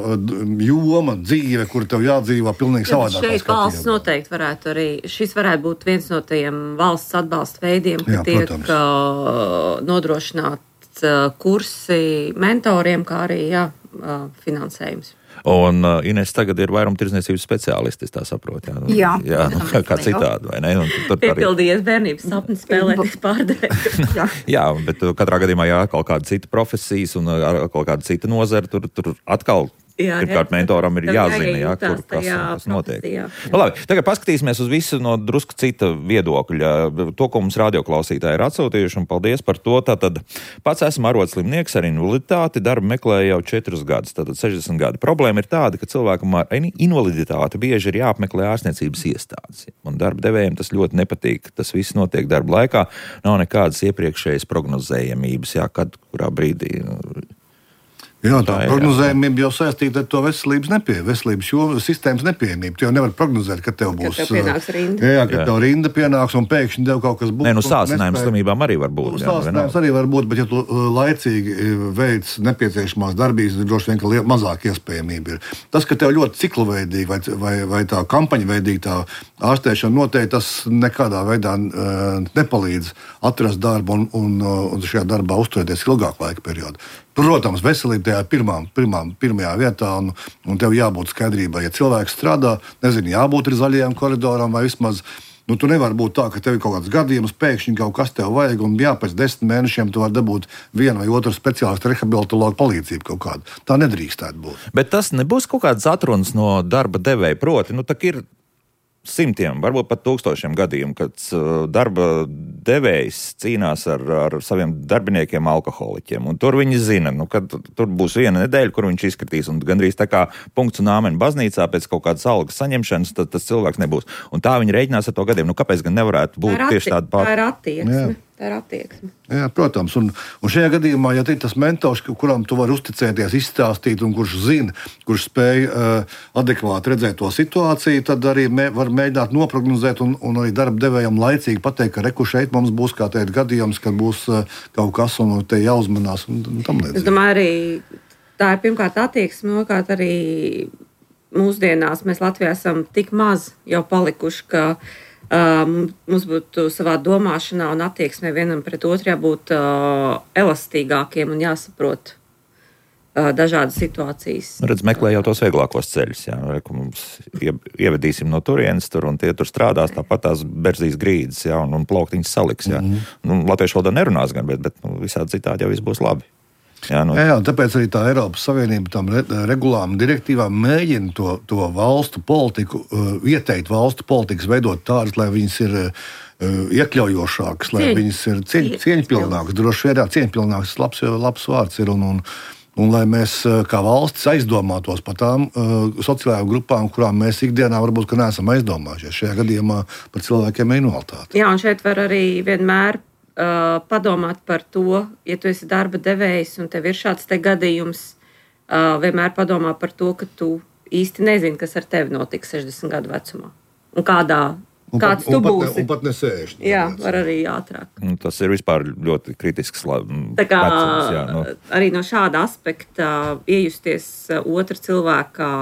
joma, dzīve, kur tev jādzīvo pilnīgi savādāk. Šeit valsts noteikti varētu arī, šis varētu būt viens no tiem valsts atbalsta veidiem, ka jā, tiek uh, nodrošināt uh, kursi mentoriem, kā arī jā, uh, finansējums. Un uh, Ines tagad ir vairumtirdzniecības speciālisti, es tā saprotu. Jā, nu, jā, jā nu, kā, kā citādi, vai ne? Piepildījies bērnības sapnis spēlēties pārdevēju. jā. jā, bet katrā gadījumā jā, kaut kāda cita profesijas un kaut kāda cita nozara, tur, tur atkal Jā, pirmkārt, mentoram ir jāzina, jā, kur, kas, kas notiek. Nu, labi, tagad paskatīsimies uz visu no drusku cita viedokļa. To, ko mums radioklausītāji ir atsūtījuši, un paldies par to. Tātad pats esmu arodslimnieks ar invaliditāti, darbu meklēju jau četrus gadus, tātad sešdesmit gadi. Problēma ir tāda, ka cilvēkam ar invaliditāti bieži ir jāapmeklē ārstniecības iestādes. Un darba devējiem tas ļoti nepatīk. Tas viss notiek darba laikā. Nav nekādas iepriekšējas prognozējamības, jā, kad, kurā brīdī... Jā, tā, tā prognozējumība jau saistīta ar to veselības nepie, veselības jo, sistēmas nepieejamību. Tu jau nevar prognozēt, ka tev būs... Ka tev pienāks rinda. Jā, ka jā. tev rinda pienāks un pēkšņi tev kaut kas būs. Nē, nu sācinājums slimībām arī var būt. Sācinājums arī var būt, bet ja tu laicīgi veic nepieciešamās darbības, tad droši vien, ka mazāk iespējamība ir. Tas, ka tev ļoti cikluveidīgi vai, vai, vai tā kampaņveidīgi tā ārstēšana noteikti, tas nekādā veidā uh, nepalīdz atrast darbu un, un, un šajā darbā uzturēties ilgāku laika periodu. Protams, veselība tajā pirmām, pirmām, pirmajā vietā, un, un tev jābūt skaidrībai. Ja cilvēks strādā, nezinu, jābūt ir zaļajām koridoram vai vismaz, nu, tu nevar būt tā, ka tev ir kaut kāds gadījums, pēkšņi kaut kas tev vajag, un jā, pēc desmit mēnešiem tu vari dabūt vienu vai otru speciālistu rehabilitologu palīdzību kaut kādu. Tā nedrīkstētu būt. Bet tas nebūs kaut kāds atruns no darba devēja, proti, nu, tak ir simtiem, varbūt pat tūkstošiem gadījumu, kad darba devējs cīnās ar, ar saviem darbiniekiem alkoholiķiem. Un tur viņi zina, nu, ka tur būs viena nedēļa, kur viņš izskatīs. Un gandrīz tā kā punkts un āmeni baznīcā pēc kaut kādas algas saņemšanas, tad tas cilvēks nebūs. Un tā viņi rēķinās ar to gadiem. Nu, kāpēc gan nevarētu būt atti, tieši tāda pār... Tā ir attieksme. Jā. Tā ir attieksme. Jā, protams, un, un šajā gadījumā, ja ir tas mentors, kuram tu vari uzticēties, izstāstīt, un kurš zina, kurš spēj uh, adekvāti redzēt to situāciju, tad arī mē, var mēģināt noprognozēt un, un arī darba devējam laicīgi pateikt, ka reku šeit mums būs kā teikt gadījums, kad būs uh, kaut kas un te jāuzmanās un, un tam līdzīgi. Es domāju, arī tā ir pirmkārt attieksme, otrkārt arī mūsdienās mēs Latvijā esam tik maz jau palikuši, ka Uh, mums būtu savā domāšanā un attieksmē vienam pret otru jābūt uh, elastīgākiem un jāsaprot uh, dažādas situācijas. Redz, meklē jau tos vieglākos ceļus. Jā. Reku mums ievedīsim no turienes tur, un tie tur strādās, tāpat tās berzīs grīdas, jā, un, un plauktiņas saliks. Jā. Mm-hmm. Nu, latviešu valodā nerunās gan, bet, bet nu, visādi citādi jau viss būs labi. Jā, nu. jā, tāpēc arī tā Eiropas Savienība tam re, regulām un direktīvām mēģina to, to valstu politiku, uh, ieteikt valstu politikas veidot tādas, lai viņas ir uh, iekļaujošākas, lai Cieņ. viņas ir cieņ, cieņpilnākas. Droši vien, jā, cieņpilnākas labs, labs vārds ir, un, un, un lai mēs kā valstis aizdomātos par tām uh, sociālajām grupām, kurām mēs ikdienā varbūt neesam aizdomājušies. Šajā gadījumā par cilvēkiem ar invaliditāti. Jā, un šeit var arī vienmēr Uh, padomāt par to, ja tu esi darba devējs un tev ir šāds te gadījums, uh, vienmēr padomā par to, ka tu īsti nezini, kas ar tevi notiks sešdesmit gadu vecumā. Un kādā, un kāds pat, tu un būsi. Pat ne, un pat ne sēžņi. Jā, var arī ātrāk. Tas ir vispār ļoti kritisks Tā kā vecums. Jā, no. Arī no šāda aspekta iejusties otra cilvēka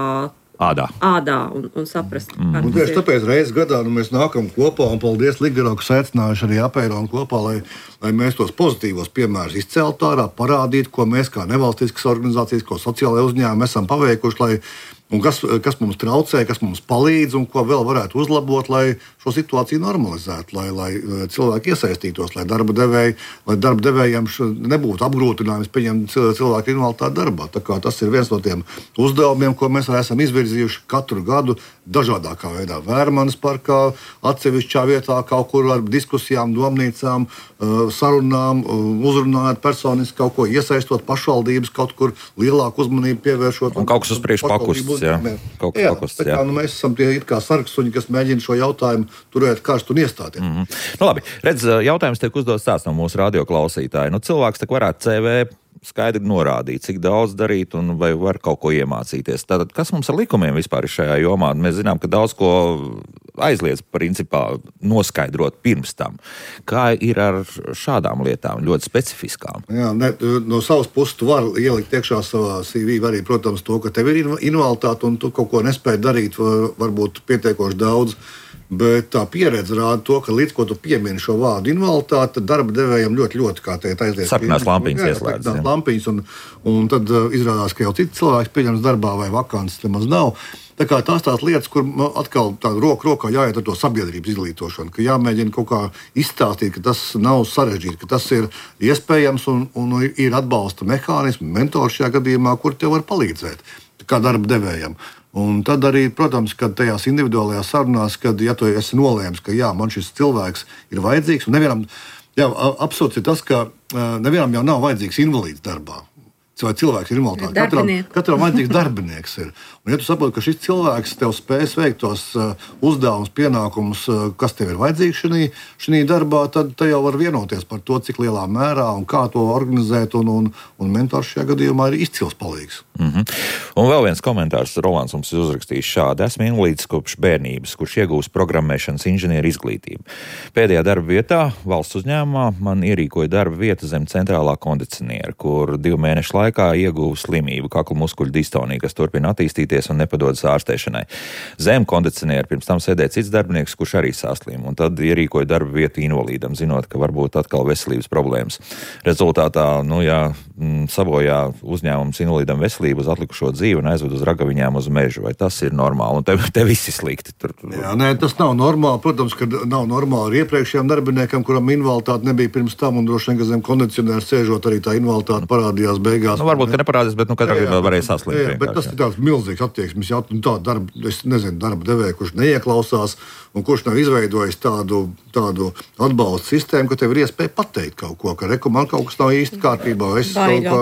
Ādā. Ādā un, un saprast, mm. kā tas ir. Tieši tāpēc reizes gadā nu, mēs nākam kopā, un paldies Ligaro, kas aicinājuši arī apēron kopā, lai, lai mēs tos pozitīvos piemērus izceltu ārā, parādītu, ko mēs kā nevalstiskas organizācijas, ko sociālajie uzņēmumi esam paveikuši, lai, un kas, kas mums traucē, kas mums palīdz, un ko vēl varētu uzlabot, lai šo situāciju normalizētu, lai, lai cilvēki iesaistītos, lai darba devēji, lai darba devējiem nebūtu apgrūtinājums pieņemt cilvēku invaliditāti darbā. Tā kā tas ir viens no tiem uzdevumiem, ko mēs esam izvirzījuši katru gadu dažādākā veidā. Vērmanas parkā, atsevišķā vietā, kaut kur ar diskusijām, domnīcām, sarunām, uzrunājot personiski kaut ko, iesaistot pašvaldības, kaut kur lielāku uzmanību pievēršot. Un kaut kas uz priekšu pakusts jā. Kaut, jā, kaut kas, tā kā jā. nu, mēs esam tie it kā sargsuņi, kas mēģina šo jautājumu turēt karstu un iestāties. Mm-hmm. Nu, labi, redz, jautājums tiek uzdots tāds no mūsu radioklausītāja. Nu, cilvēks tak varētu C V skaidri norādīt, cik daudz darīt un vai var kaut ko iemācīties. Tātad, kas mums ar likumiem vispār ir šajā jomā? Mēs zinām, ka daudz ko aizliedz principā noskaidrot pirms tam. Kā ir ar šādām lietām, ļoti specifiskām? Jā, ne, no savas puses tu vari ielikt iekšā savā C V arī, protams, to, ka tev ir invaliditāte un tu kaut ko nespēji darīt, var, varbūt pietiekoši daudz. Bet tā pieredze rāda to, ka līdz ko tu piemini šo vārdu invaliditāte, darba devējiem ļoti, ļoti kā teikt aizies. Sarkanās lampiņas ieslēdz. Jā, lampiņas, un, un tad uh, izrādās, ka jau cits cilvēks pieņems darbā vai vakants nemaz nav. Tā kā tās tās lietas, kur atkal tā roku rokā jāiet ar to sabiedrības izglītošanu, ka jāmēģina kaut kā izstāstīt, ka tas nav sarežģīti, ka tas ir iespējams un, un ir atbalsta mehānismi, mentors šajā gadījumā, kur tev var palīdzēt, kā darba devējam. Un tad arī, protams, kad tajās individuālajās sarunās, kad ja tu esi nolēmis, ka jā, man šis cilvēks ir vajadzīgs, un nevienam, jā, absurds ir tas, ka nevienam jau nav vajadzīgs invalīds darbā. Vai cilvēks ir invaliditāte. Katram, katram vajadzīgs darbinieks ir. Un ja tu saproti, ka šis cilvēks tev spēs veikt tos uh, uzdevumus, pienākumus, uh, kas tev ir vajadzīgs šī, šī darbā, tad te jau var vienoties par to, cik lielā mērā un kā to organizēt, un, un, un mentors šajā gadījumā ir izcils palīgs. Mm-hmm. Un vēl viens komentārs Rolands mums ir uzrakstījis šādi. Esmu invalīds kopš bērnības, kurš iegūst programmēšanas inženieru izglītību. Pēdējā darba vietā, valsts uzņēmumā, man ierīkoja darba vieta zem centrālā kondicioniera, kur divu mēnešu laikā ieguva slimību, kakla muskuļu distoniju, kas turpina attīstīties un nepadodas ārstēšanai. Zem kondicioniera pirms tam sēdēja cits darbinieks, kurš arī sāslīm, un tad ierīkoja darba vietu invalīdam, zinot, ka varbūt atkal veselības problēmas. Rezultātā, nu jā, sabojā uzņēmums invalīdam veselību uz atlikušo dzīvi un aizved uz ragaviņām uz mežu. Vai tas ir normāli? Un te, te visi slikti. Tur... Jā, nē, tas nav normāli. Protams, ka nav normāli ar iepriekšējiem darbiniekam, kuram invaliditāte nebija pirms tam, un droši vien, ka zem kondicionēra sēžot arī tā invaliditāte parādījās beigās. Nu, varbūt, ka neparādās, bet nu katrā gadījumā varēja saslimt. Jā, jā, bet tas ir tāds milzīgs attieksmes jautājums. Tā darba, es nezinu, darba devēja, kurš neieklausās un kurš nav izveidojis tādu, tādu atbalstu sistēmu, ka tev ir iespēja pateikt kaut ko, ka reku man kaut kas nav īsti kārtībā. Es kaut kā,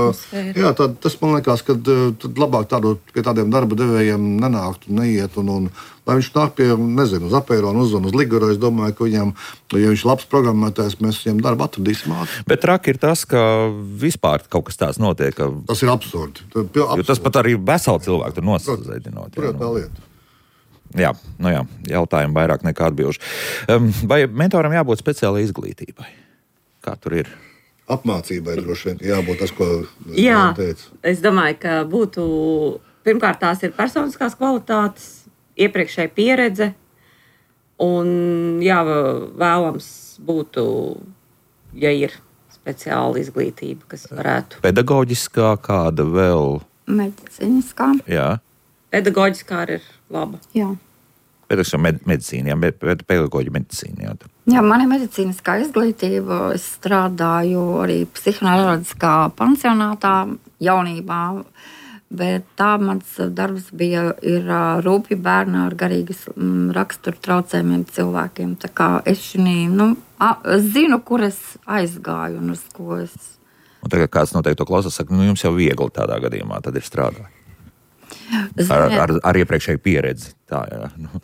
jā, tā, tas man liekas, ka tad labāk tādu, pie tādiem darba devējiem nenākt un neiet. Un, un, lai viņš nāk pie, nezinu, uz Apēronu, uz, uz Liguru, es domāju, ka viņam, ja viņš labs programmētājs, mēs viņam darbu atradīsim ātri. Bet traki ir tas, ka vispār kaut kas tāds notiek. Ka... Tas ir absurdi. absurdi. Tas pat arī veseli cilvēki tur nosazēdinot. Protams, tā lieta. Jā, nu jā, jautājumi vairāk nekā atbilžu. Um, vai mentoram jābūt speciālai izglītībai? Kā tur ir? Apmācībai droši vien jābūt tas, ko jā, teica. Es domāju, ka būtu, pirmkārt, tās ir personiskās kvalitātes, iepriekšēja pieredze, un jā, vēlams būtu, ja ir speciāla izglītība, kas varētu. Pedagoģiskā kāda vēl? Medicīniskā. Jā. Pedagoģiskā ir laba. Jā. Pedagoģiskā med- medicīna, jā, bet pedagoģi medicīna, jā. Jā, man ir medicīniskā izglītība. Es strādāju arī psihoanalītiskā pansionātā jaunībā, bet tā mans darbs bija ir rūpju bērni ar garīgas rakstura traucējumiem cilvēkiem. Tā kā es šinī, nu, zinu, kur es aizgāju un uz ko es. Un tagad kāds noteikti to klausās, saka, nu jums jau viegli tādā gadījumā tad ir strādāt. Ar, ar, ar iepriekšēju pieredzi. Tā, jā. Nu.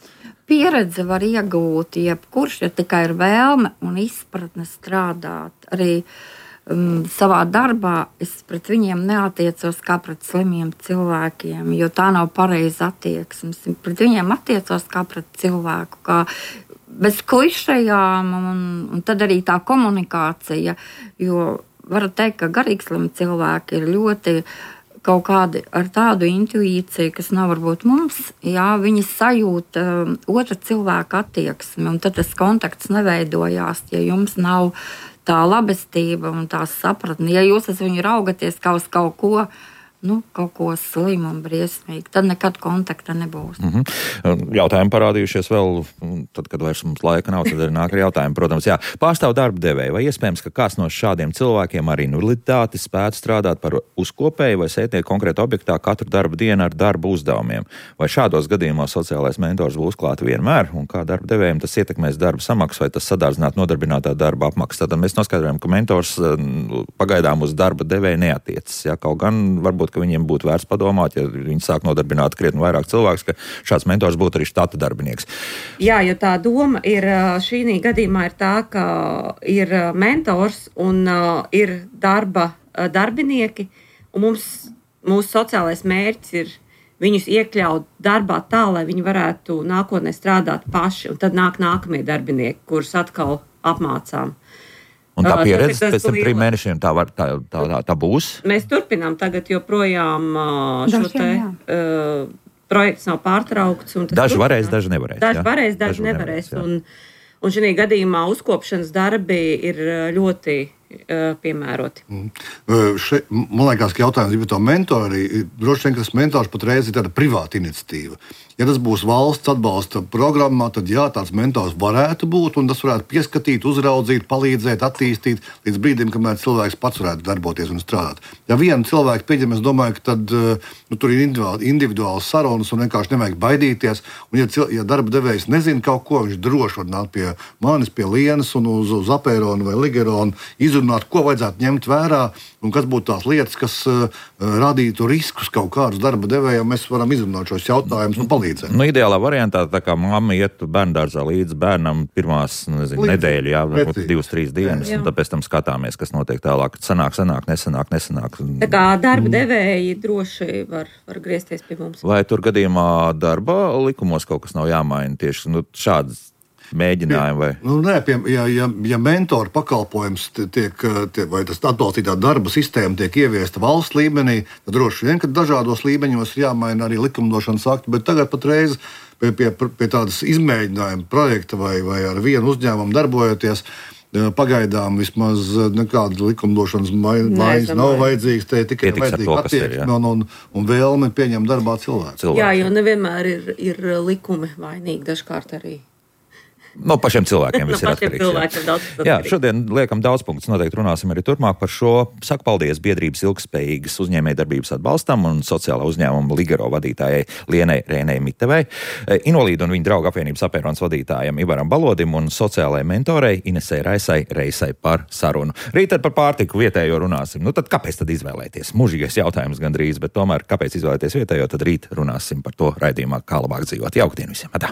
Pieredze var iegūt jebkurš, ja tikai ir vēlme un izpratne strādāt. Arī um, savā darbā es pret viņiem neatiecos kā pret slimiem cilvēkiem, jo tā nav pareiza attieksme. Pret viņiem attiecos kā pret cilvēku, kā bez klišejām, un, un tad arī tā komunikācija, jo varu teikt, ka garīgslimi cilvēki ir ļoti kaut kādi ar tādu intuīciju, kas nav varbūt mums, jā, viņi sajūt um, otra cilvēka attieksmi, un tad tas kontakts neveidojās, ja jums nav tā labestība un tā sapratne. Ja jūs uz viņu raugaties kā uz kaut ko, nu, kaut ko slimu un briesmīgi, tad nekad kontakta nebūs. Mm-hmm. Jautājumi parādījušies vēl, tad, kad vairs mums laika nav, tad arī nāk ar jautājumu. Protams, jā, pārstāv darba devēja, vai iespējams, ka kāds no šādiem cilvēkiem ar invaliditāti spētu strādāt par uzkopēju vai sētnieku konkrētā objektā katru darba dienu ar darba uzdevumiem? Vai šādos gadījumos sociālais mentors būs klāt vienmēr, un kā darba devējiem tas ietekmēs darba samaksu, vai tas sadārdzināt nodarbinātā darba apmaksu? Tad mēs noskaidrojam, ka mentors pagaidām uz darba devēju neatiecas. Jā, kaut gan varbūt varbūt, ka viņiem būtu vērts padomāt, ja viņi sāk nodarbināt krietni vairāk cilvēks, ka šāds mentors būtu arī štata darbinieks. Jā, jo tā doma ir šī gadījumā ir tā, ka ir mentors un uh, ir darba uh, darbinieki, un mums, mūsu sociālais mērķis ir viņus iekļaut darbā tā, lai viņi varētu nākotnē strādāt paši, un tad nāk nākamie darbinieki, kurus atkal apmācām. Un tā pieredze Tas ir tas pēc tam liela- trim mēnešiem tā, var, tā, tā, tā, tā būs? Mēs turpinām tagad joprojām uh, šo Dažiem, te jā. uh, projekts nav pārtraukts. un tas Daži turpinās. varēs, daži nevarēs. Daži jā? varēs, daži, Daži nevarēs. jā. Un, un šī gadījumā uzkopšanas darbi ir uh, ļoti uh, piemēroti. Uh, Še, man liekas, ka jautājums par to mentori, droši vien, ka tas mentors patreiz ir tāda privāta iniciatīva. Ja tas būs valsts atbalsta programmā, tad jā, tāds mentors varētu būt, un tas varētu pieskatīt, uzraudzīt, palīdzēt, attīstīt līdz brīdim, kamēr cilvēks pats varētu darboties un strādāt. Ja vienu cilvēku pieņem, es domāju, ka tad, nu, tur ir individuāli, individuāls sarunas un vienkārši nevajag baidīties. Un ja, cil, ja darba devējs nezina kaut ko, viņš droši var nākt pie manis, pie Lienas un uz, uz Apēronu vai Ligeronu, izrunāt, ko vajadzētu ņemt vērā un kas būtu tās lietas, kas uh, radītu riskus kaut kādus darba devējiem. Mēs varam izrunāt šos jautājumus un palīdzēt. Nu, ideālā variantā, tā kā mamma iet bērndārzā līdz bērnam pirmās nezinu, Līdz- nedēļu, jā, varbūt precīzi. divas, trīs dienas, Jā. un tāpēc tam skatāmies, kas notiek tālāk. Sanāk, sanāk, nesanāk, nesanāk. Tā kā darba devēji droši var, var griezties pie mums. Vai tur gadījumā darba likumos kaut kas nav jāmaina tieši nu, šādas mēģinājumi? Vai? Nu, nē, pie, ja, ja, ja mentora pakalpojums tiek, tiek, vai tas atbalstītā darba sistēma tiek ieviesta valsts līmenī, tad droši vien, ka dažādos līmeņos ir jāmaina arī likumdošanas akti, bet tagad patreiz pie, pie, pie tādas izmēģinājuma projekta vai, vai ar vienu uzņēmumu darbojoties, pagaidām vismaz nekāda likumdošanas maiņas nav vajadzīgas, te tikai Pietiks ar to, vajadzīga kas ir, jā. attieksme un, un, un vēlme pieņemt darbā cilvēku. Cilvēki. Jā, jo nevienmēr ir, ir likumi vainīgi, dažkārt arī. No pašiem cilvēkiem No viss ir pašiem atkarīgs. cilvēkiem daudz Jā. kas jā, atkarīgs. šodien liekam daudz punktus. Noteikti runāsim arī turpmāk par šo. Saku paldies biedrības ilgspējīgas uzņēmējdarbības atbalstam un sociālā uzņēmuma Ligero vadītājai Lienai Rēnei Mitevai, Invalīdu un viņa draugu apvienības Apērons vadītājam Ivaram Balodim un sociālajai mentorei Inesei Raisai Reisai par sarunu. Rīt tad par pārtiku vietējo runāsim. Nu tad kāpēc tad izvēlēties? Mūžīgais jautājums gandrīz, bet tomēr kāpēc izvēlēties vietējo, tad rīt runāsim par to raidījumā, kā labāk dzīvot. Jauktdien visiem! Atā.